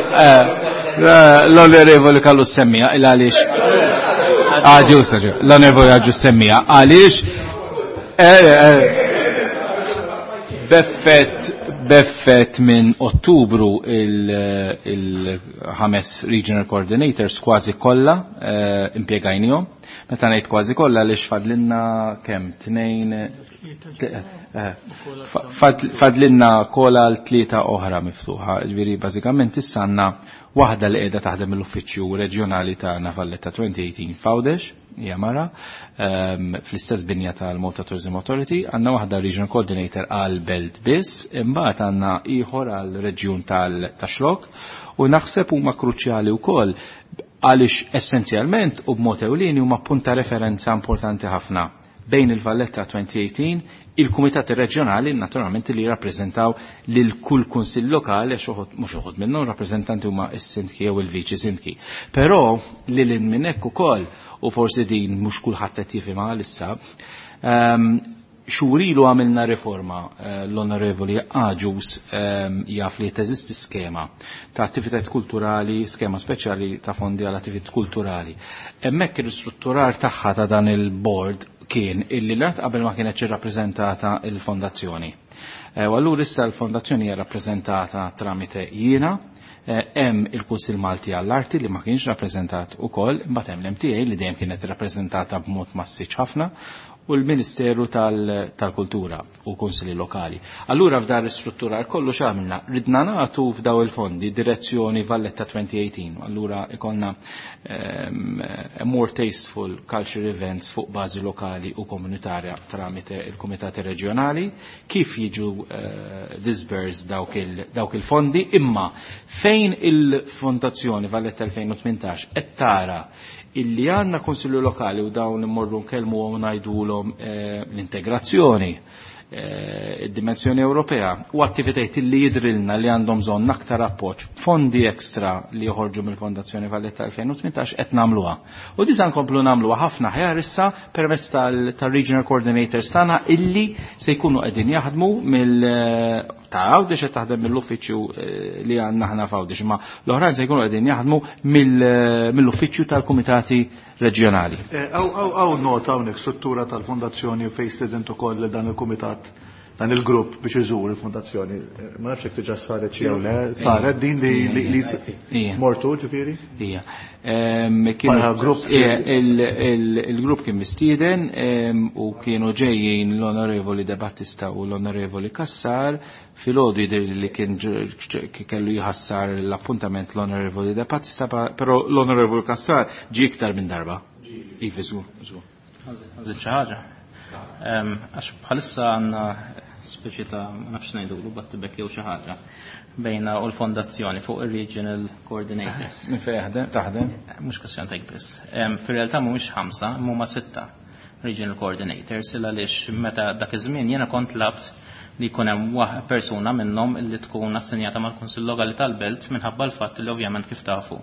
Callus semmija il għaliex. Agius, Agius, l-onorevoli Agius semmija għaliex beffet minn Ottubru il-ħames regional coordinators kważi kollha impjegajnihom. Meta ngħid kważi kollha għaliex fadlinna kemm tnejn fadlinna kolla l-tlieta oħra miftuħa. Ġifieri bażikament issa għandna waħda li qiegħda taħdem mill-uffiċċju reġjonali tagħna Valletta 2018 f'Għawdex, hija mara, fl-istess binja tal-Malta Tourism Authority, għandna waħda regional coordinator għal Belt biss, imbagħad għandna ieħor għal reġjun tal-Xlok, u naħseb huma kruċjali wkoll għaliex essenzjalment u b'mod ewlieni huma punt ta' referenza importanti ħafna bejn il-Valletta 2018, il-Kumitati Reġjonali naturalment li jirrappreżentaw lil kull kunsill lokali, għax mhux uħud minnhom rappreżentanti huma s-sindki jew il-viċi sindki. Però lil hinn minn hekk ukoll, u forsi din mhux kulħadd qed jifhimha għalissa, xurilu għamilna riforma, l-Onorevoli Agius jaf li teżisti skema ta' attivitajiet kulturali, skema speċjali ta' fondi għal attivitajiet kulturali. Hemmhekk il-ristrutturar tagħha ta' dan il-board kien illi l-art qabel ma kienet irrappreżentata il-fondazzjoni. U allura issa l-fondazzjoni hija rappreżentata tramite jiena, hemm il-Kunsill Malti għall-Arti li ma kienx rappreżentat ukoll, imbagħad hemm l-MTA li dejjem kienet rappreżentata b'mod massiċ ħafna, u l-Ministeru tal-Kultura u Kunsilli Lokali. Allura f'dar l-istrutturar kollu x'għamilna? Ridna nagħtu f'daw il-fondi direzzjoni Valletta 2018. Allura ikonna more tasteful culture events fuq bażi lokali u komunitarja tramite il-Kumitati Reġjonali, kif jiġu disbursed dawk il-fondi, imma fejn il-Fondazzjoni Valletta 2018 qed tara illi għandna konsilju lokali u dawn immorru nkellmu u ngħidulhom l-integrazzjoni, id-dimensjoni Ewropea u attivitajiet illi jidrilna li għandhom bżonn aktar appoġġ, fondi ekstra li joħorġu mill-Fondazzjoni Valletta 2018 qed nagħmluha. U diża nkomplu nagħmluha ħafna ħjar issa permezz tal-Regional Coordinators tagħna illi se jkunu qegħdin jaħdmu mill ta' Għawdex qed taħdem mill-uffiċċju li għandna aħna f'Għawdex, imma l-oħrajn se jkunu qegħdin jaħdmu mill-uffiċċju tal-Kumitati Reġjonali. Għaw nota hawnhekk struttura tal-fondazzjoni fejn stedent ukoll dan il-kumitat, dan il-grupp biex iżur il-fondazzjoni. Ma nafx jekk diġà saret xi jew le, saret din li mortu ġifieri? Ija. Bħala grupp Il-grupp kien mistieden u kienu ġejjin l-Onorevoli De Battista u l-Onorevoli Cassar. Filgħodu jidher li kien kellu jħassar l-appuntament l-Onorevoli De Battista, però l-Onorevoli Cassar ġie iktar minn darba. Iva, żgur, żgur. Ħanżid xi ħaġa. Għax bħalissa għandna speċi ta' ma nafx ngħidulu battibek jew xi ħaġa bejna u l-fondazzjoni fuq ir-regional coordinators. Minn fejn jaħdem? Taħdem? Mhux kwestjoni ta' biss. Fir-realtà mhumiex 5, huma 6 regional coordinators, illa għaliex meta dak iż-żmien jiena kont labt li jkun hemm persuna minnhom li tkun assenjata mal-Kunsill Lokali tal-Belt minħabba l-fatt li ovvjament kif tafu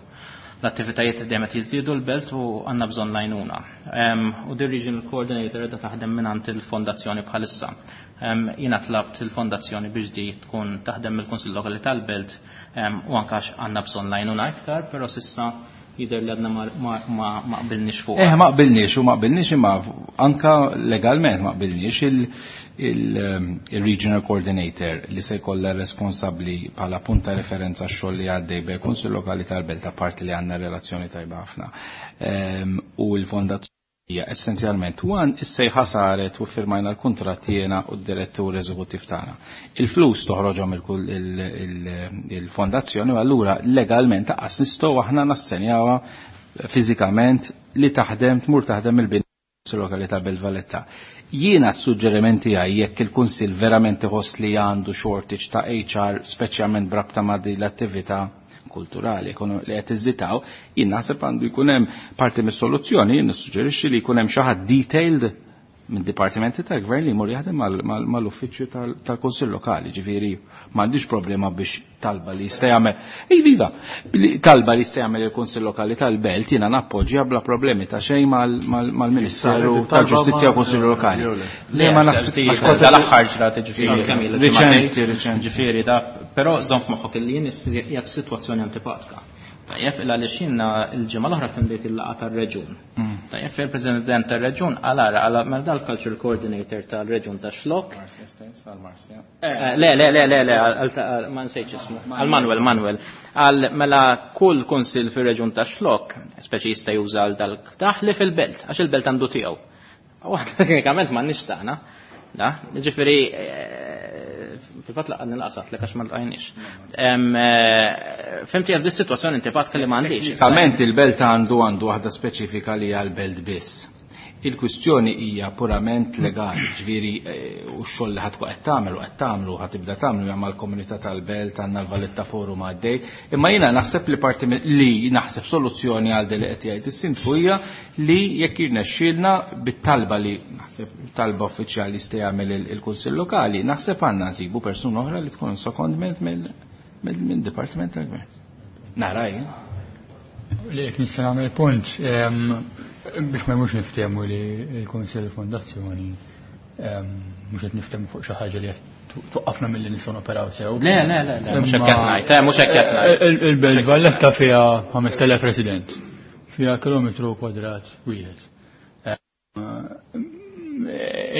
l-attivitajiet dejjem qed jiżdiedu l-belt u għandna bżonn l-għajnuna. U the regional coordinator qiegħda taħdem mingħand il-fondazzjoni bħalissa. Jiena tlabt il-fondazzjoni biex di tkun taħdem mill-Kunsill Lokali tal-Belt u anke għax għandna bżonn l-għajnuna iktar, però s'issa jidher li għadna ma qbilniex fuq. Ma qbilniex u ma qbilniex imma anka legalment ma qbilniex il-Regional Coordinator li se jkollha responsabbli bħala punt ta' referenza x-xogħol li għaddej bejn Kunsill Lokali tal-Belt, apparti li għandna relazzjoni tajba ħafna. U l-fondazzjoni hija essenzjalment wan is-sejħa saret u firmajna l-kuntratt jiena u d-direttur eżekuttiv tagħna. Il-flus toħroġhom il-fondazzjoni u allura legalment taqqas nistgħu aħna nassenjawha fiżikament li taħdem tmur taħdem il-bini lokali ta' Belt Valletta. Jiena s-suġġerimenti tiegħi jekk il-Kunsill verament iħoss li għandu shortage ta' HR speċjalment brabta ma' din l-attività kulturali li qed iżitaw, jien naħseb għandu jkun hemm parti mis-soluzzjoni, jien nissuġġerixxi li jkun hemm xi ħadd detailed minn dipartimenti tal-gvern li jmur jaħdem mal-uffiċċju tal-Kunsill Lokali, ġifieri m'għandix problema biex talba li jista' jagħmel. Ej viva, talba li jista' jagħmel il-Kunsill Lokali tal-Belt jiena nappoġġja bla problemi ta' xejn mal-Ministeru tal-Ġustizzja u Kunsill Lokali. Le ma naħseb għax kont tal-aħħar ġrat, ġifieri, kemm ilha Riċenti, ġimagħtejn. riċenti. Ġifieri da, però żomm f'moħħok illi jien qiegħed f'sitwazzjoni antipatika. Tajjeb, illa għaliex jiena l-ġimgħa l-oħra attendejt il-laqgħa tar-reġun. Tajjeb, fejn il-President tar-reġun qal ara, qal mela dal-Cultural Coordinator tal-reġun ta' Xlokk. Marcia stess, għal Marcia. Le, le, le, le, le, għal, ma nsejtx ismu. Għal Manuel, Manuel. Għal mela kull kunsill fir-reġun ta' Xlokk, speċi jista' juża għal dal-ktaħ li fil-belt, għax il-belt għandu tiegħu. U teknikament m'għandniex tagħna. Da, ġifieri, fil-fatt laqgħa nilqasat lek għax ma lqajniex. Fimti għal dis-sitwazzjoni intifatka li m'għandix. Teknikament il-belt għandu waħda speċifika li hija l-belt biss. Il-kwistjoni hija purament legali, ġifieri u x-xogħol li ħadd qed tagħmel u qed tagħmlu ħad tibda tagħmlu hija mal-komunità tal-belt, għandna l-Valletta Forum għaddej, imma jiena naħseb li parti li naħseb soluzzjoni għal din li qed jgħid is-sindku hija li jekk jirnexxielna bit-talba li naħseb talba uffiċjali jista' jagħmel il-Kunsill Lokali, naħseb għandna nsibu persuna oħra li tkun secondment mill-Dipartiment tal-Gvern. Nara jien. Li jekk nista' nagħmel punt, biex ma jmux niftehmu li l-Kunsill Fondazzjoni mhux qed niftehmu fuq xi ħaġa li qed tuqqafna milli nistgħu noperaw sew. Le, le, le, le, mhux hekk qed ngħid, mhux hekk qed ngħid. Il-Belt Valletta fiha 5000 resident, fiha kilometru kwadrat wieħed.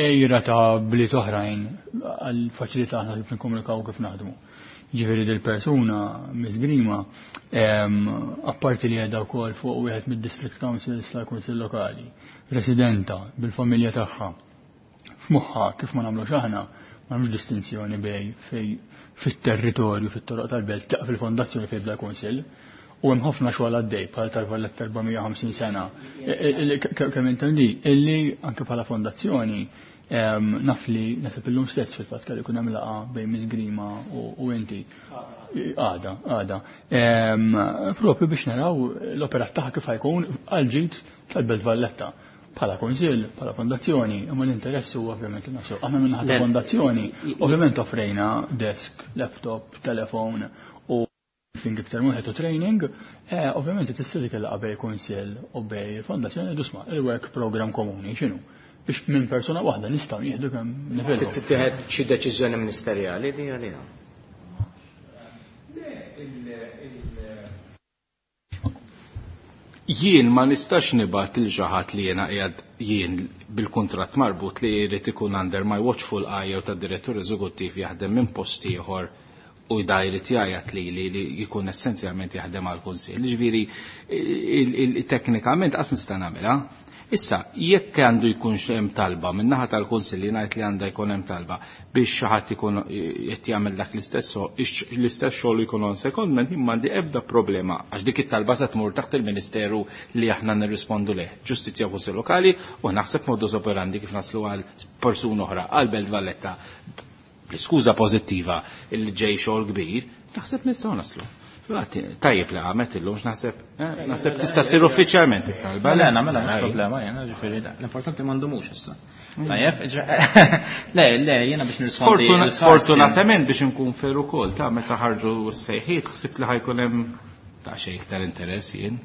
Ejra ta' bliet oħrajn għal faċilità aħna kif nikkomunikaw kif naħdmu. Ġifieri dil-persuna Miss Grima, apparti li qiegħda wkoll fuq wieħed mid-district councils tal-Kunsill Lokali, residenta bil-familja tagħha. F'moħħa kif ma nagħmlux aħna, ma nagħmlux distinzjoni bej fej fit-territorju, fit-toroq tal-belt, taqaf il-fondazzjoni fejn bla kunsill. U hemm ħafna xogħol għaddej bħal tal-Valletta 450 sena. Kemm intendi, illi anke bħala fondazzjoni, naf li naħseb illum stess fil-fatt kellu jkun hemm laqgħa bejn Miss Grima u inti. Għada, għada. Propju biex naraw l-operat tagħha kif ħajkun għal ġid tal-Belt Valletta. Bħala kunsill, bħala fondazzjoni, imma l-interess huwa ovvjament il-nasu. Aħna minn ħadd fondazzjoni, ovvjament offrejna desk, laptop, telefon u briefing iktar wieħed u training, ovvjament tista' dik il-laqgħa bej kunsill u bej fondazzjoni dusma il-work program komuni x'inhu biex minn persuna waħda nistgħu nieħdu kemm nifilħu. Tittieħed xi deċiżjoni ministerjali di għalija? Jien ma nistax nibgħat lil xi ħadd li jiena qiegħed jien bil-kuntratt marbut li jrid ikun under my watchful eye jew tad-direttur eżekuttiv jaħdem minn post ieħor u da jrid jgħajjat li li jkun essenzjalment jaħdem għall kunsill. Ġifieri, teknikament qas nista' nagħmilha. Issa, jekk għandu jkun hemm talba min-naħa tal-Kunsill li ngħid li għandha jkun hemm talba biex xi ħadd ikun qed jagħmel dak l-istess xogħol jkun on secondment, jien m'għandi ebda problema għax dik it-talba se tmur taħt il-Ministeru li aħna nirrispondu leh, Ġustizzja u Kunsill Lokali, u naħseb modus operandi kif naslu għal persuna oħra għal Belt Valletta bl-iskuża pożittiva li ġej xogħol kbir, naħseb nistgħu naslu. Tajjeb li għamet illum, naħseb tista' ssir uffiċjalment it-talba. Le, nagħmilha, mhux problema, jiena, ġifieri, le, l-importanti m'għandhomux issa. Tajjeb, le, le, jiena biex nirrispondi. Sfortunatament biex nkun fair ukoll ta' meta ħarġu s-sejħiet ħsibt li ħajkun hemm ta' xejn iktar interess jien.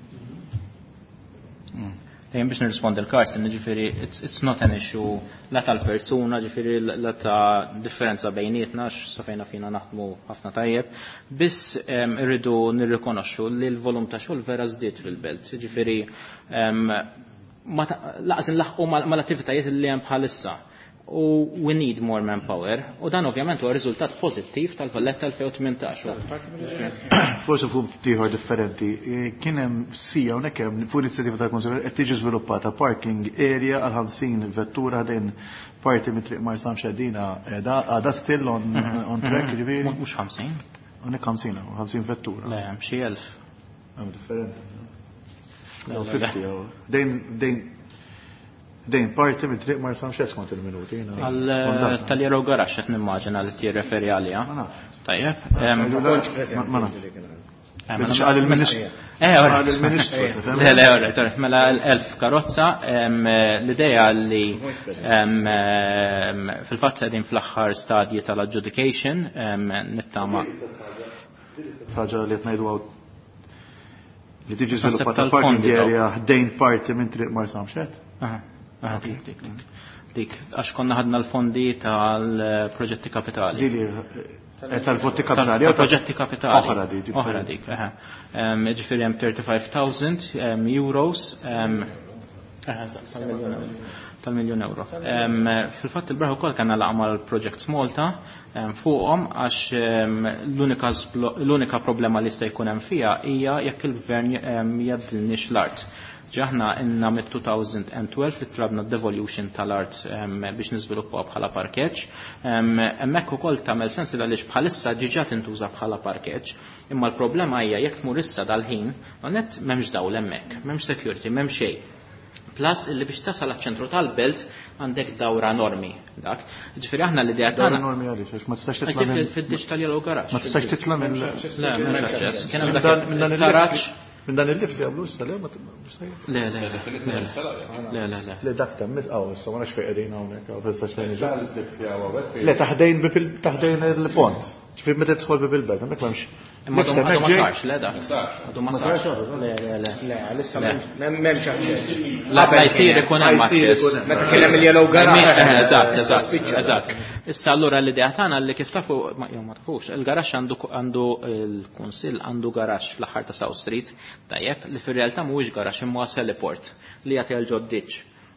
Jien biex nirrispondi l-Carson, ġifieri it's not an issue la tal-persuna, ġifieri la ta' differenza bejnietna, sa fejna fina naħdmu ħafna tajjeb, biss irridu nirrikonoxxu li l-volum ta' xogħol vera żdied fil-belt. Ġifieri laqas nlaħqu mal-attivitajiet li hemm bħalissa. U we need more manpower. U dan ovvjament huwa riżultat pożittiv tal-Valletta 2018. Forsi fuq ieħor differenti, kien hemm sija hawnhekk hemm fuq inizjattiva tal-Kunsill qed tiġi żviluppata parking area għal 50 vettura ħdejn parti mit triq Marsamxett dina għadha still on track ġifieri. Mhux 50. Hawnhekk 50 50 vettura. Le, hemm xi 1000. Hemm differenti. 50 dejn dejn parti minn triq Marsamxett skont il-minuti. Għal tal-Yellow Garage qed nimmaġina li tirreferi għaliha. Tajjeb. Ma nafx. Għal il-ministru. Għal il-ministru. Le, le, mela l-1000 karozza, l-idea li fil-fatt qegħdin fl-aħħar stadji tal-adjudication, nittama. Ħaġa li qed ngħidu li tiġi żviluppata parking area ħdejn parti minn triq Marsamxett. Dik, dik, għax konna ħadna l-fondi tal-proġetti kapitali. Tal-votti kapitali. Tal-proġetti kapitali. Oħra dik. Oħra dik, Ġifieri hemm 35,000 euros. Tal-miljon euro. Fil-fatt il-braħ ukoll kellna laqgħa mal-Projects Malta fuqhom għax l-unika problema li jista' jkun hemm fiha hija jekk il-gvern jgħaddilniex l-art. Ġaħna inna mit-2012 li tlabna devolution tal-art biex niżviluppaw bħala parkeġġ. Hemmhekk ukoll tagħmel sens għaliex bħalissa diġà tintuża bħala parkeġġ, imma l-problema hija jekk tmur issa dal-ħin, nett m'hemmx dawl hemmhekk, m'hemmx security, m'hemm xejn. Plus illi biex tasal għaċ-ċentru tal-belt għandek dawra enormi dak. Ġifieri aħna l-idea tagħna. Dawra enormi għaliex għax ma tistax titla' minn fid-digital yellow garage. Ma tistax titla' minn Le, m'hemmx aċċess. Kien hemm dak il-taraġ. Minn dan il-lift li għamlu issa, le, ma Le, le, le, le, le, le. Le, dak ta' mis, għaw, issa ma nafx fejn qegħdin hawnhekk, għaw, issa xejn iġu. Le, taħdejn il-pont. Ġifieri meta tidħol bib il-belt, hemmhekk m'hemmx. Imma għadu ma sarx, le dak. Għadu ma sarx. Le, le, le. Le, issa m'hemmx aċċess. La, la jsir ikun hemm aċċess. Meta kien hemm il-yellow garage. Eżatt, eżatt, eżatt. Issa allura l-idea tagħna li kif tafu, ma jew ma tafux, il-garaxx għandu il-kunsill għandu garaxx fl-aħħar ta' South Street, tajjeb, li fir-realtà mhuwiex garaxx imma heliport li jagħti għal ġoddiċ.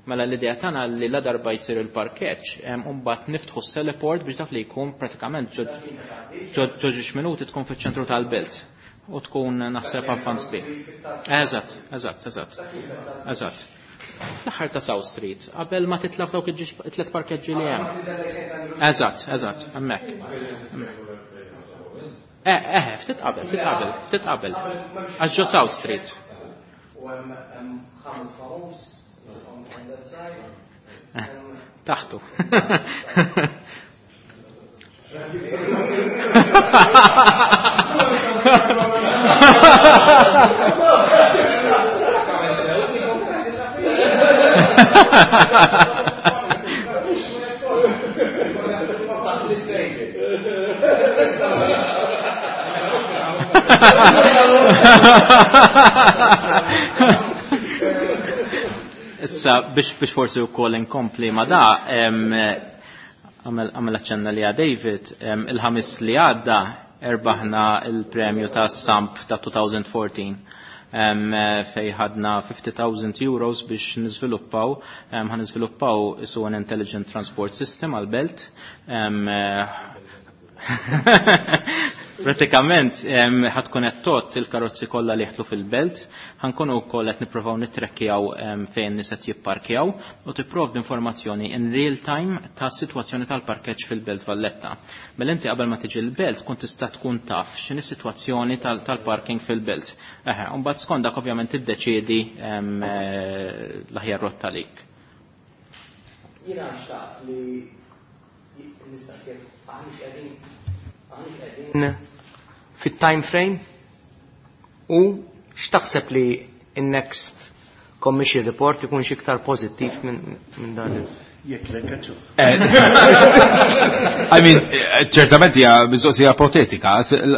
Mela l-idea tagħna li la darba jsir il-parkeġġ, u mbagħad niftħu s-heliport biex dak li jkun pratikament ġo ġiex minuti tkun fiċ-ċentru tal-belt u tkun naħseb avvanz bi. Eżatt, eżatt, eżatt. Eżatt. Fl-aħħar ta' South Street, qabel ma titla' f'dawk it-tliet parkeġġi li hemm. Eżatt, eżatt, hemmhekk. Ftit qabel, ftit qabel, ftit qabel. Għax ġo South Street. U hemm ħamil famuż on that side. Taħtu. Issa, biex forsi wkoll inkompli ma da, għamel aċċenna li David, il-ħamis li għadda erbaħna il-premju ta' Samp ta' 2014. Fej ħadna 50,000 euros biex niżviluppaw, ħan niżviluppaw isu an intelligent transport system għal-belt. Pratikament, ħatkun qed tot il-karozzi kollha li jeħtlu fil-belt, ħankunu wkoll qed nippruvaw nittrekkjaw fejn nies qed jipparkjaw u tipprovdi informazzjoni in real time ta' sitwazzjoni tal-parkeġġ fil-Belt Valletta. Mela inti qabel ma tiġi l-belt tkun tista' tkun taf x'inhi s-sitwazzjoni tal-parking fil-belt. Eħe, u mbagħad skont dak ovvjament tiddeċiedi l-aħjar rotta għalik. Jiena xtaqt li nistaqsi aħniex qegħdin fit-time frame u x'taħseb li in-next Commission report ikun iktar pożittiv minn dan Jekk le kaċċu. I mean, ċertament hija mistoqsija ipotetika,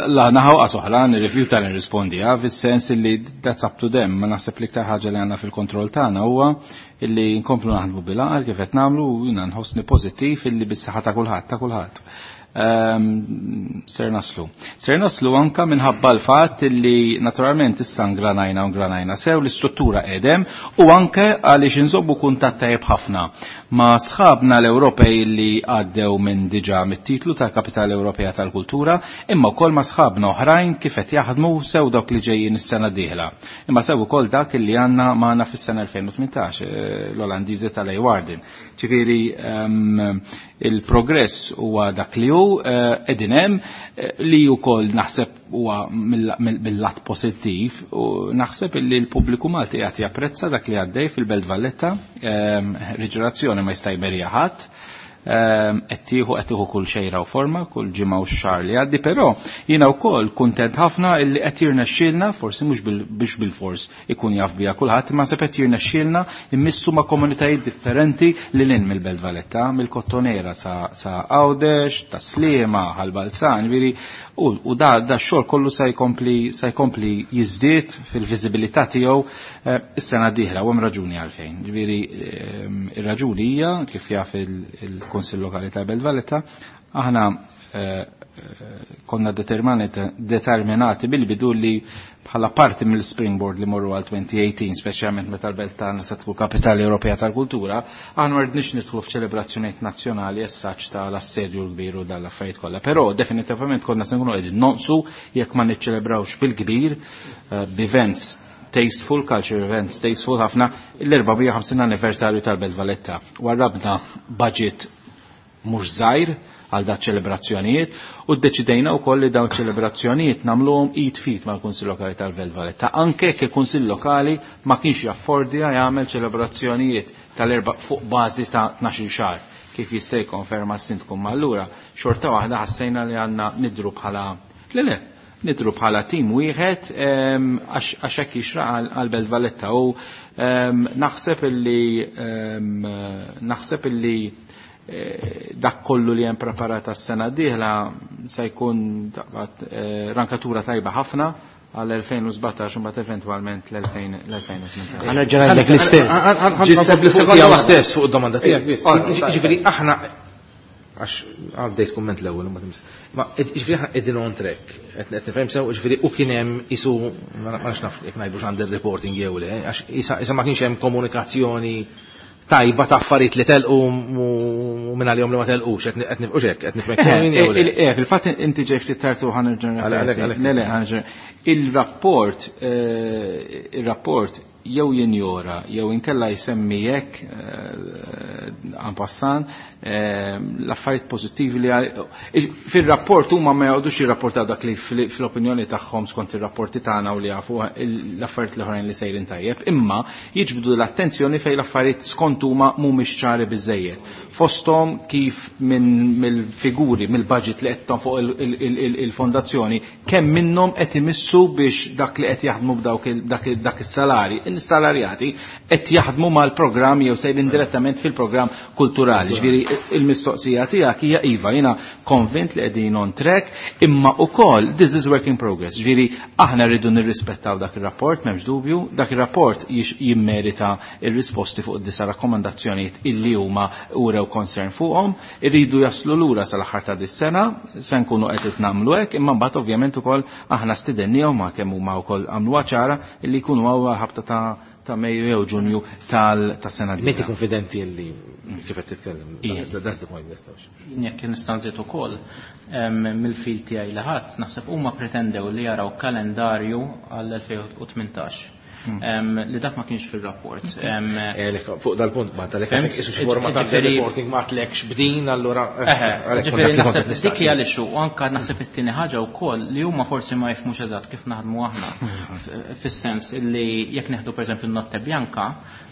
la naħaw oħra nirrifjuta nirrispondiha fis-sens li that's up to them, ma naħseb l-iktar ħaġa li għandna fil-kontroll tagħna huwa illi nkomplu naħdmu bil-għaqal kif qed nagħmlu u jiena nħossni pożittiv illi bis-saħħa ta' kulħadd ta' kulħadd. Ser naslu. Ser naslu anka minħabba l-fatt li naturalment issa ngranajna u ngranajna sew l-istruttura edem u anke għaliex inżommu kuntatt tajjeb ħafna ma' sħabna l-Ewropej li għaddew minn diġà mit-titlu tal-Kapitali Ewropea tal-Kultura, imma wkoll ma' sħabna oħrajn kif qed jaħdmu sew dawk li ġejjin is-sena d-dieħla. Imma sew ukoll dak li għandna magħna fis-sena 2018, l-Olandiżi tal-Leeuwarden. Ġifieri il-progress huwa dak li hu qegħdin hemm, li wkoll naħseb huwa mill-lat pożittiv u naħseb illi l-pubbliku Malti qed japprezza dak li għaddej fil-Belt Valletta, riġenerazzjoni ma jista' jmerija ħadd, qed tieħu kull xejra u forma, kull ġimgħa u xahar li għaddi, però jiena wkoll kuntent ħafna illi qed jirnexxielna, forsi mhux biex bil-fors ikun jaf biha kulħadd, imma se qed jirnexxielna immissu ma' komunitajiet differenti lil hinn mill-Belt Valletta, mill-Kottonera sa Għawdex, ta' Sliema, Ħal Balzan, ġifieri, u da x-xogħol kollu se jkompli jiżdied fil-viżibilità tiegħu is-sena d-dieħla, u hemm raġuni għalfejn. Ġifieri, ir-raġuni hija kif jaf il-Kunsill Lokali ta' Belt Valletta, aħna konna determinati bil-bidu li bħala parti mill-springboard li morru għal 2018, speċjalment meta l-belt tagħna se tkun kapitali Ewropea tal-Kultura, aħna ma rridniex nidħlu f'ċelebrazzjonijiet nazzjonali essaċ tal-assedju l-kbir u dal-affarijiet kollha. Però definitivament konna se nkunu qegħdin nonqsu jekk ma niċċelebrawx bil-kbir b'events tasteful, culture events tasteful ħafna l-450 anniversarju tal-Belt Valletta. Warrabna budget mhux żgħir għal da ċelebrazzjonijiet u ddeċidejna wkoll li dawn ċelebrazzjonijiet nagħmluhom id fit mal-Kunsill Lokali tal-Belt Valletta. Anke jekk il-Kunsill Lokali ma kienx jaffordja jagħmel ċelebrazzjonijiet tal-erba' fuq bażi ta' 12 xahar kif jista' jikkonferma s-sindku. Ma allura xorta waħda ħassejna li għandna nidru bħala le nidru bħala tim wieħed għax hekk jixraq għal Belt Valletta u naħseb illi dak kollu li hemm preparat għas-sena d-dieħla se jkun rankatura tajba ħafna għal 2017 u mbagħad eventwalment l-2018. Għana ġenajlek l-istess. Ġiseb stess fuq id-domanda tiegħek biss. Ġifieri aħna għax għaddejt kumment l-ewwel ma tims. Ma ġifieri aħna qegħdin on track, qed nifhem sew, ġifieri u kien hemm isu ma nafx naf jekk ngħidux għand ir-reporting jew le, għax isa ma kienx hemm komunikazzjoni tajba ta' affarijiet li telqu u minn għalihom li ma telqux, qed nifqux hekk, qed nifhmek sew jew le. Fil-fatt inti ġej ftit tard u ħanerġa' nirrepeti. Le, le, ħanerġa'. Il-rapport jew jinjora jew inkella jsemmi hekk en passant l-affarijiet pożittivi li fir-rapport huma ma jgħodux jirrapportaw dak li fl-opinjoni tagħhom skont ir-rapporti tagħna u li jafu l-affarijiet l-oħrajn li sejrin tajjeb, imma jiġbdu l-attenzjoni fejn l-affarijiet skont huma mhumiex ċari biżejjed. Fosthom kif mill-figuri, mill-budget li qed fuq il-fondazzjoni, kemm minnhom qed imissu biex dak li qed jaħdmu b'dawk dak is-salari, is-salarjati qed jaħdmu mal-programm jew sejrin direttament fil-programm kulturali. Ġifieri il-mistoqsija tiegħek hija iva, jiena konvint li qegħdin on track, imma wkoll this is work in progress. Ġifieri aħna rridu nirrispettaw dak ir-rapport, m'hemmx dubju, dak ir-rapport jimmerita ir-risposti fuq id-disa rakkomandazzjonijiet illi huma urew concern fuqhom, irridu jaslu lura sal-aħħar ta' dis-sena, se nkunu qed nagħmlu hekk, imma mbagħad ovvjament ukoll aħna stidennihom ma kemm huma wkoll għamluha ċara illi jkunu hawn ħabta ta' Mejju jew Ġunju tas-sena d-dieħla. Meti konfidenti li kif qed titkellem. That's the point, nistgħux. Jekk nista' nżid ukoll mill-fil tiegħi li ħadd naħseb huma pretendew li jaraw kalendarju għall-2018. Li dak ma kienx fil-rapport. Fuq dal-punt ma talek isu xi forma ta' reporting ma tlekx bdin allura. Ġifieri naħseb dik hija li xu, u anke naħseb it-tieni ħaġa wkoll li huma forsi ma jifhmux eżatt kif naħdmu aħna. Fis-sens li jekk neħdu pereżempju n-Notte Bianca,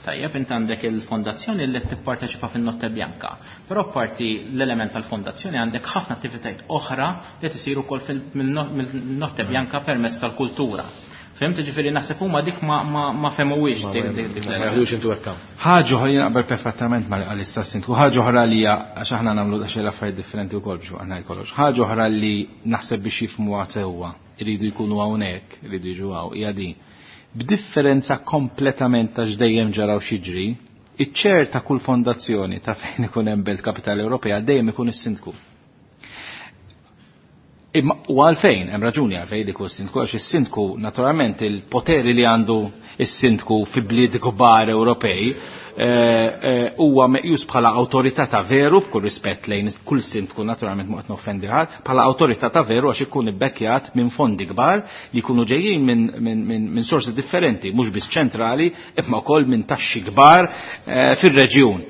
tajjeb int għandek il-fondazzjoni li qed tipparteċipa fin-Notte Bianca. Però parti l-element tal-fondazzjoni għandek ħafna attivitajiet oħra li tisiru wkoll mill-Notte Bianca permezz tal-kultura. Fhimt, ġifieri naħseb huma dik ma fehmuhiex dik Ma jaħdux into account. Ħaġa oħra jien naqbel perfettament ma' li qal issa s-sindku, ħaġa oħra li hija għax aħna nagħmlu daqsxejn l-affarijiet differenti wkoll biex ngħid kollox. Ħaġa oħra li naħseb biex jifhmuha sewwa iridu jkunu hawnhekk, iridu jiġu hawn, hija din. B'differenza kompletament ta' x'dejjem ġara u x'jiġri, iċ-chair ta' kull fondazzjoni ta' fejn ikun hemm Belt Kapitali Ewropea dejjem ikun is-sindku. Imma u għalfejn, hemm raġuni għalfejn li kull sindku, għax is-sindku naturalment il-poteri li għandu is-sindku fi bliet kbar Ewropej huwa meqjus bħala awtorità ta' veru, b'kull rispett lejn kull sindku naturalment ma qed noffendi ħadd, bħala awtorità ta' veru għax ikun ibbekkjat minn fondi kbar li jkunu ġejjin minn sorsi differenti, mhux biss ċentrali, imma wkoll minn taxxi kbar fir-reġjun.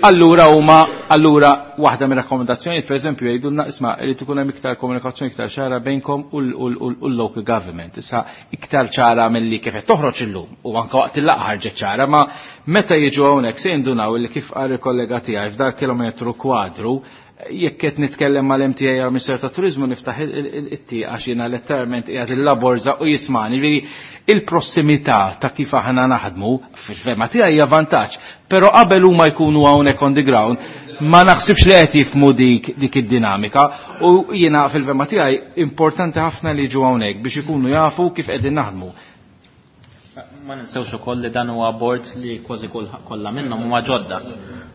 Allura huma, allura waħda mir-rakkomandazzjonijiet pereżempju jgħidulna isma' irid ikun hemm iktar komunikazzjoni iktar ċara bejnkom u l-local government. Issa iktar ċara milli kif qed toħroġ illum u anke waqt il-laqgħa ħarġet ċara, ma meta jiġu hawnhekk se jindunaw illi kif qal il-kollega tiegħi f'dar kilometru kwadru, jekk qed nitkellem mal-MTA jew Ministeru tat-Turiżmu niftaħ it-tieqa għax jiena letteralment qiegħed il-laborza u jismani. Ġifieri il-prossimità ta' kif aħna naħdmu fil-fema tiegħi hija vantaġġ, però qabel huma jkunu hawnhekk on the ground ma naħsibx li qed jifhmu dik id-dinamika u jiena fil-fema tiegħi importanti ħafna li jiġu hawnhekk biex ikunu jafu kif qegħdin naħdmu. Ma ninsewx ukoll li dan huwa board li kważi kollha minnhom huma ġodda.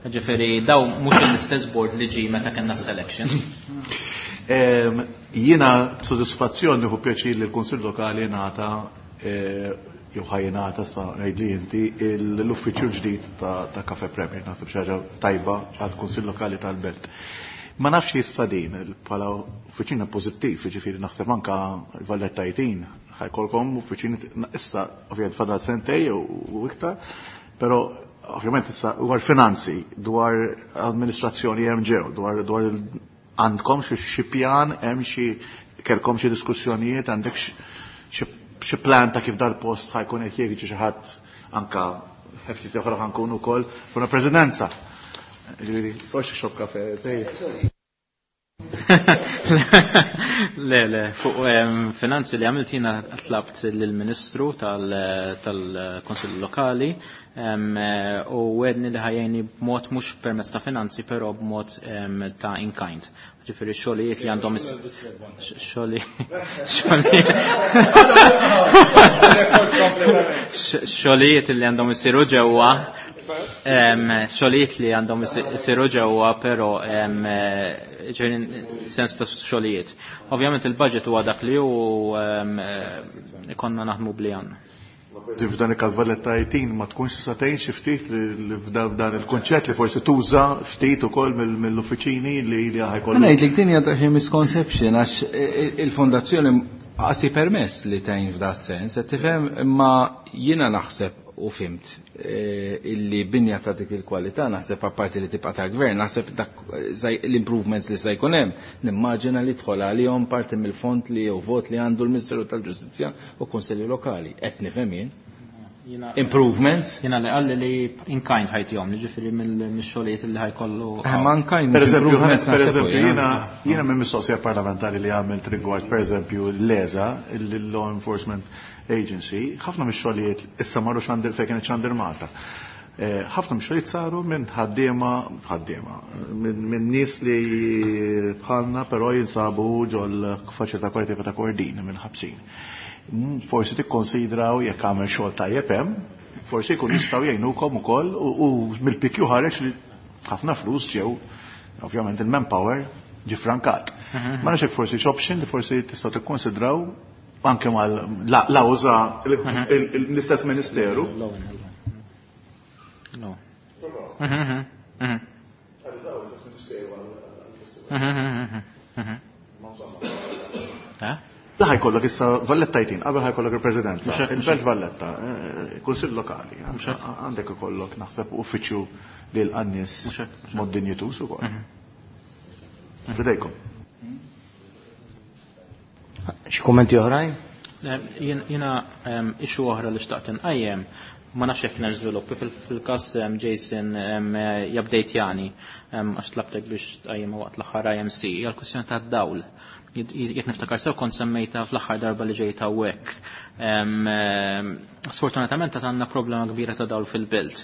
Ġifieri daw mhux l-istess board li ġie meta kellna selection. Jiena b'sodisfazzjon nieħu pjaċir li l-Kunsill Lokali ngħata jew ħajjingħata sa ngħidli inti l-uffiċċju ġdid ta' Cafe Premier, naħseb xi ħaġa tajba għall-Kunsill Lokali tal-Belt. Ma nafx issa din bħala uffiċina pożittiv, jiġifieri naħseb anka Vallettajtin ħajkolkom uffiċini issa ovvjament fadal sentej u iktar, però ovvjament issa dwar finanzi, dwar amministrazzjoni hemm ġew, dwar għandkom xi pjan, hemm xi kelkom xi diskussjonijiet, għandek xi plan ta' kif dal-post ħajkun qed jiġi xi ħadd anka ftit oħra ħankun ukoll fuq presidenza. Ġifieri, forsi xob kafe, tgħid. Le, le, fuq finanzi li għamilt jiena tlabt lill-Ministru tal-Kunsill Lokali u wedni li ħajjeni b'mod mhux permezz ta' finanzi però b'mod ta' in kind. Ġifieri xogħlijiet li għandhom xogħlijiet li għandhom isiru ġewwa, xogħlijiet li għandhom isiru ġewwa, però ġifieri sens ta' xogħlijiet. Ovvjament il-budget huwa dak li hu ikonna naħdmu bli għandna. F'dan il-każ Valletta 18 ma tkunx tista' tgħin xi ftit li f'dan il-kunċett li forsi tuża ftit ukoll mill-uffiċini li ħajkollu. Ma ngħidlek din hija xi misconception għax il-fondazzjoni qasi permess li tgħin f'da sens, qed tifhem, imma jiena naħseb u fimt illi binja ta' dik il-kwalità naħseb apparti li tibqa' tal-gvern, naħseb dak l-improvements li se jkun hemm, nimmaġina li tħol għalihom parti mill-fond li jew vot li għandu l-Ministeru tal-Ġustizzja u Kunsilli Lokali. Qed nifhem jien. Improvements? Jiena li qalli li in kind ħajtihom, li ġifieri mill-xogħlijiet li ħajkollu. Ma in kind Per eżempju, improvements per naħseb eżempju, jiena. jiena minn mistoqsija parlamentari li għamilt rigward, per eżempju, l-ESA, il-Law Enforcement Agency, ħafna mix-xogħlijiet issa marru xandir fejn kienet xandir Malta. Ħafna mix-xogħlijiet saru minn ħaddiema, ħaddiema, minn nies li bħalna però jinsabu ġol faċilità korrettiva ta' Kordin minn ħabsin. Forsi tikkonsidraw jekk għamel xogħol tajjeb hemm, forsi jkun jistgħu jgħinukom ukoll u mill-PQ ħareġ li ħafna flus ġew, ovvjament il-manpower ġi frankat. Ma nafx hekk forsi x'option li forsi tistgħu tikkonsidraw anke mal l-awża l-istess ministeru. No. La ħajkollok issa Valletta jtin, qabel ħajkollok il-Presidenza, il-Belt Valletta, Kunsill Lokali, għandek ikollok naħseb uffiċċju li l-qannis mod dinjitus ukoll. Fidejkom. Xi kummenti oħrajn? Jiena issue oħra li xtaqt inqajjem, ma nafx jekk kien hemm żviluppi fil-każ Jason jabdejtjani, għax tlabtek biex tqajjem waqt l-aħħar IMC, hija l-kwistjoni tad-dawl. Jekk niftakar sew kont semmejta fl-aħħar darba li ġejta hawnhekk. Sfortunatament għad għandna problema kbira ta' dawl fil-belt.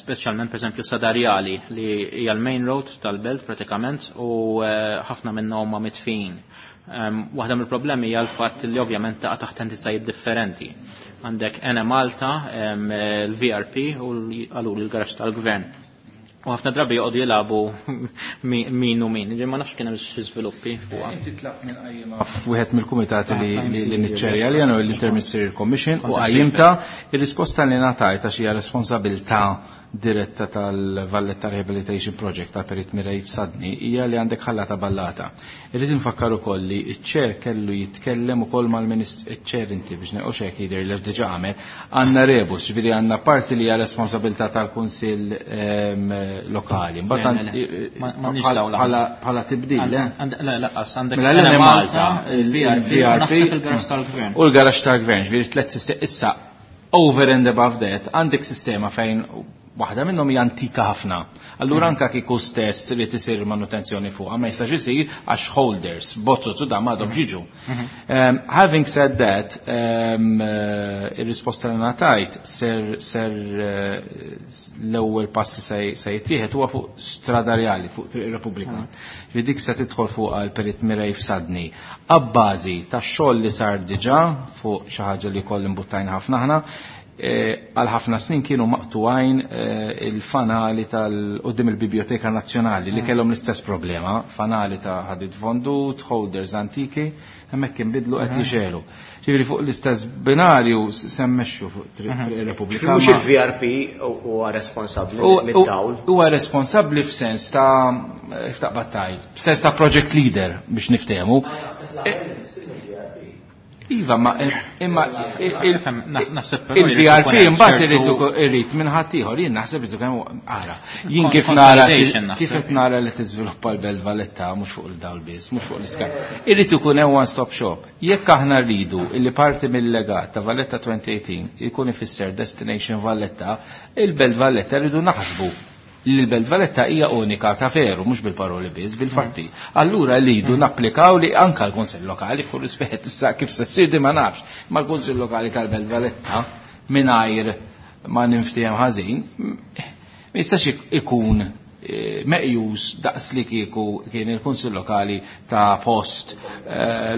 Speċjalment pereżempju Sadarjali li hija l-main road tal-belt pratikament u ħafna minnhom huma mitfin. Waħda mill-problemi hija l-fatt li ovvjament taqa' taħt entitajiet differenti. Għandek Ene Malta, l-VRP u għalul il-garax tal-gvern. U ħafna drabi joqogħdu jilagħbu min u min. Ġi ma nafx kien hemm xi żviluppi fuqha. Inti tlaqt minn qajjima f'wieħed mill-kumitati li niċċerja li għanu l-Interministerial Commission u qajjimta ir-risposta li ngħatajt għax hija responsabilità diretta tal-Valletta Rehabilitation Project ta' Perit Mirej f'Sadni hija li għandek ħallata ballata. Irrid infakkar ukoll li ċ-ċer kellu jitkellem ukoll mal-Ministru ċ-ċer inti biex neqgħu hekk jidher li diġà għamel għandna rebus, ġifieri għandna parti li hija responsabilità tal-Kunsill lokali. Mbagħad bħala tibdil, le? Le, laqqas għandek mela Malta, il-VRP, il-garax tal-Gvern. U l-garax tal-Gvern, ġifieri tliet sistemi issa over and above that għandek sistema fejn waħda minnhom hija antika ħafna. Allura anka kieku stess trid isir manutenzjoni fuqha ma jistax isir għax holders, bozzot u dan m'għadhom ġiġu. Having said that, ir-risposta li ngħatajt ser l-ewwel passi se jittieħed huwa fuq Strada Reali, fuq Triq ir-Repubblika. Li dik se tidħol fuq għal Perit Mirej f'Sadni. Abbażi tax-xogħol li sar diġà fuq xi ħaġa li koll imbuttajna ħafna aħna, għal ħafna snin kienu maqtugħin il-fanali tal-qudiem il-Biblioteka Nazzjonali li kellhom l-istess problema, fanali ta' ħadid fondut, holders antiki, hemmhekk inbidlu qed jixelu. Ġifieri fuq l-istess binarju semmexxu fuq Triq ir-Repubblika. Mhux il-VRP huwa responsabbli mid-dawl. Huwa responsabbli f'sens ta' ftaqbad tajt, f'sens ta' project leader biex niftehmu. Iva, ma imma il-VRP imbagħad irid minn ħadd ieħor, jien naħseb irid kemm ara. Jien kif nara kif qed nara li tiżviluppa l-Belt Valletta mhux fuq il-dawl biss, mhux fuq l-iskar. Irid ikun hemm one stop shop. Jekk aħna rridu illi parti mill-legat ta' Valletta 2018 ikun ifisser Destination Valletta, il-Belt Valletta rridu naħsbu li l-Belt Valletta hija unika ta' veru, mhux bil-paroli biss, bil-fatti. Allura rridu napplikaw li anka l-Kunsill Lokali, fuq rispett issa kif se ssir di ma nafx, ma l-Kunsill Lokali tal-Belt Valletta mingħajr ma ninftiehem ħażin, ma jistax ikun meqjus daqs li kieku kien il-Kunsill Lokali ta' post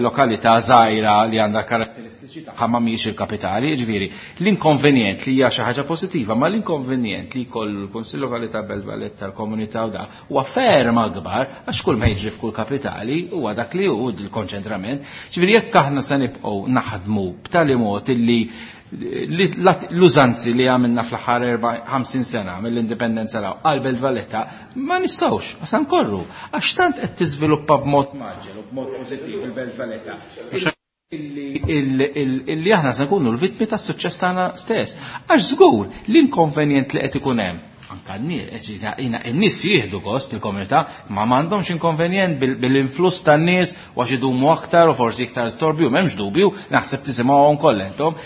lokalità żgħira li għandha karatteristiċi tagħha ma mhijiex il-kapitali, jiġifieri l-inkonvenjent li hija xi ħaġa pożittiva, ma l-inkonvenjent li jkollu l-Kunsill Lokali ta' Belt Valletta tal-komunità u da huwa ferm akbar għax kull ma jiġri f'kull kapitali huwa dak li hu l-konċentrament. Ġifieri jekk aħna se nibqgħu naħdmu b'tali mod illi l-użanzi li għamilna fl-aħħar 50 sena mill-indipendenza law għal Belt Valletta ma nistgħux, għax nkorru, għax tant qed tiżviluppa b'mod maġġel u b'mod pożittiv il-Belt Valletta. Illi aħna se nkunu l-vittmi tas-suċċess tagħna stess. Għax żgur l-inkonvenjent li qed ikun hemm. Anka n-nies jieħdu gost il-komunità, ma m'għandhomx inkonvenjent bil-influss tan-nies u għax idumu aktar u forsi iktar storbju, m'hemmx dubju, naħseb tisimgħuhom kollha intom,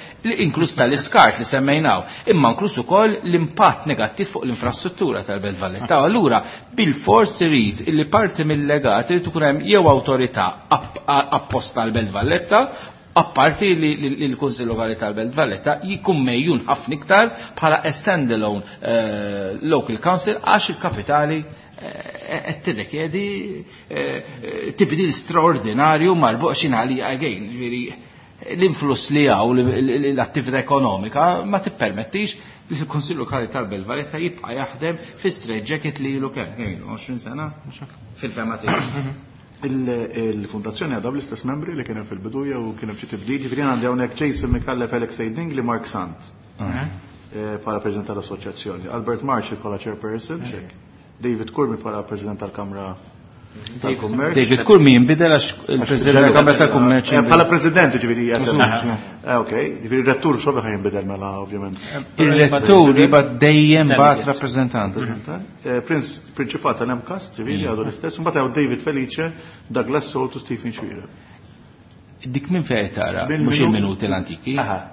inkluż tal-iskart li semmejnaw, imma inkluż ukoll l-impatt negattiv fuq l-infrastruttura tal-Belt Valletta. Allura bil-fors irid illi parti mill-legat irid ikun hemm jew awtorità apposta għall-Belt Valletta, apparti li l-Kunsill Lokali tal-Belt Valletta jkun mejjun ħafna iktar bħala a standalone local council għax il-kapitali qed tirrikjedi tibdil straordinarju marbuq xi ngħali again, ġifieri l-influss li hawn l-attività ekonomika ma tippermettix li l-Kunsill Lokali tal-Belt Valletta jibqa' jaħdem fi straight jacket li ilu kemm, kemm ilu 20 sena fil-fema tiegħi. Il-fondazzjoni għadha bl-istess membri li kien hemm fil-bidu jew kien hemm xi tibdil, ġifieri għandi hawnhekk Jason Micallef, Alex Dingli, Mark Sant. Bħala President tal-Assoċjazzjoni, Albert Marshall bħala Chairperson, xek. David Curmi bħala President tal-Kamra tal-Kummerċ. David Curmi jinbidel għax il-President tal-Kamra tal-Kummerċ. Bħala President, ġifieri, ok, ġifieri rettur xorta ħaj jinbidel mela, ovvjament. Il-rettur jibgħat dejjem bagħat rappreżentant. Prince Principat tal-MCAST, ġifieri, għadu l-istess, mbagħad hawn David Felice, Douglas Solt u Stephen Xuereb. Dik minn fejn tara, mhux il-minuti l-antiki, ta'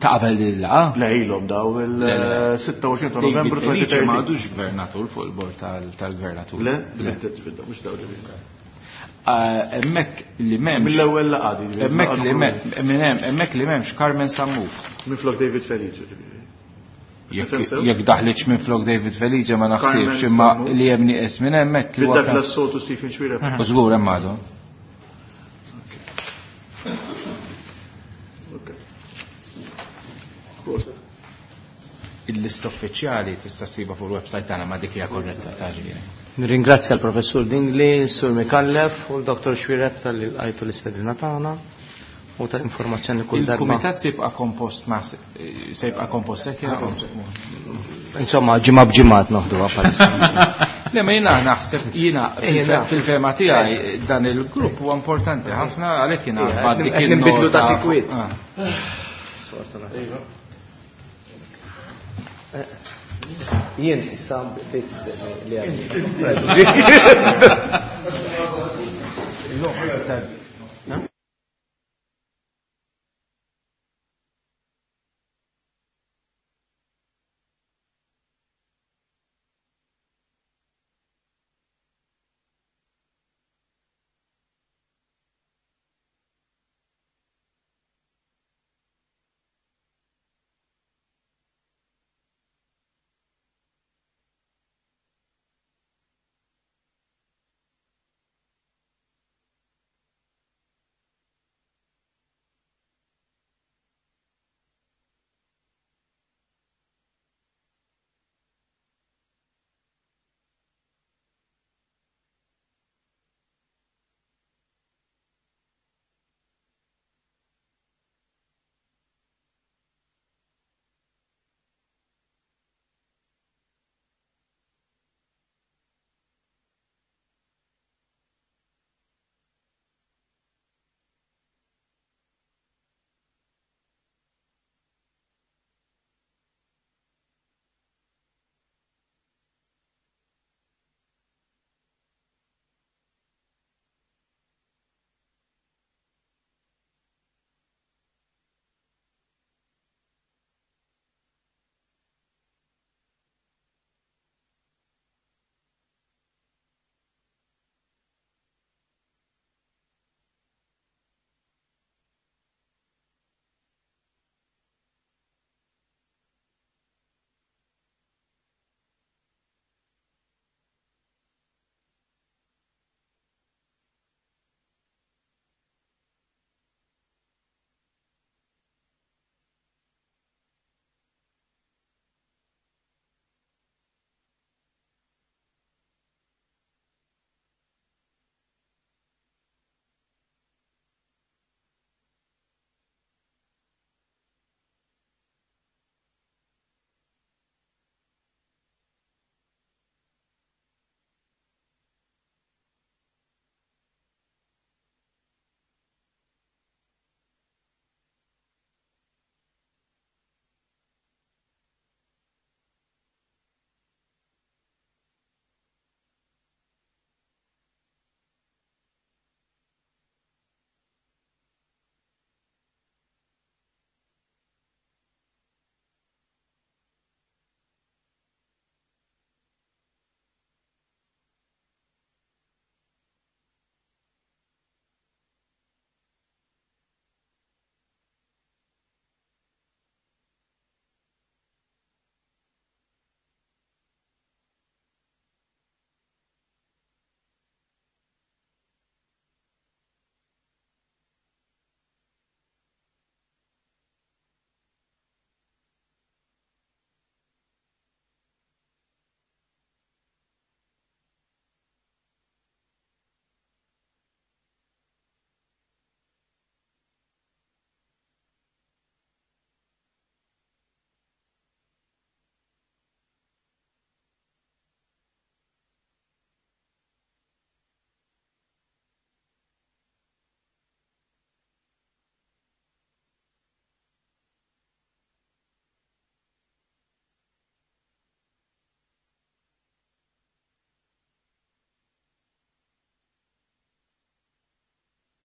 qabel il-laqa? Le, ilhom daw il-26 ta' Novembru David Felice ma għadux gvernatur fuq il-bord tal-gvernatur. Le, le, mhux daw ġifieri. Hemmhekk li m'hemmx. Mill-ewwel laqgħa di. Hemmhekk li m'hemm hemmhekk li m'hemmx Carmen Sammut. Minflok David Felice. Jekk daħlitx minflok David Felice ma naħsibx imma li hemm nieqes minn hemmhekk. Douglas Soto Stephen Xuereb. U żgur hemm għadhom. Il-lista uffiċjali tista' ssibha fuq il-website tagħna ma dik hija korretta ta' ġifieri. Nirringrazzja l-Professur Dingli, Sur Micallef u l-Dr. Xuereb talli lqajtu l-istedina tagħna u tal-informazzjoni kull darba. Il-kumitat se jibqa' kompost ma se jibqa' kompost hekk Insomma, ġimgħa b'ġimgħa qed noħduha bħalissa. Le ma jiena naħseb jiena fil-fehma tiegħi dan il-grupp huwa importanti ħafna għalhekk jiena bad dik Nbidlu ta' sikwit. Jien sissa biss li għandi.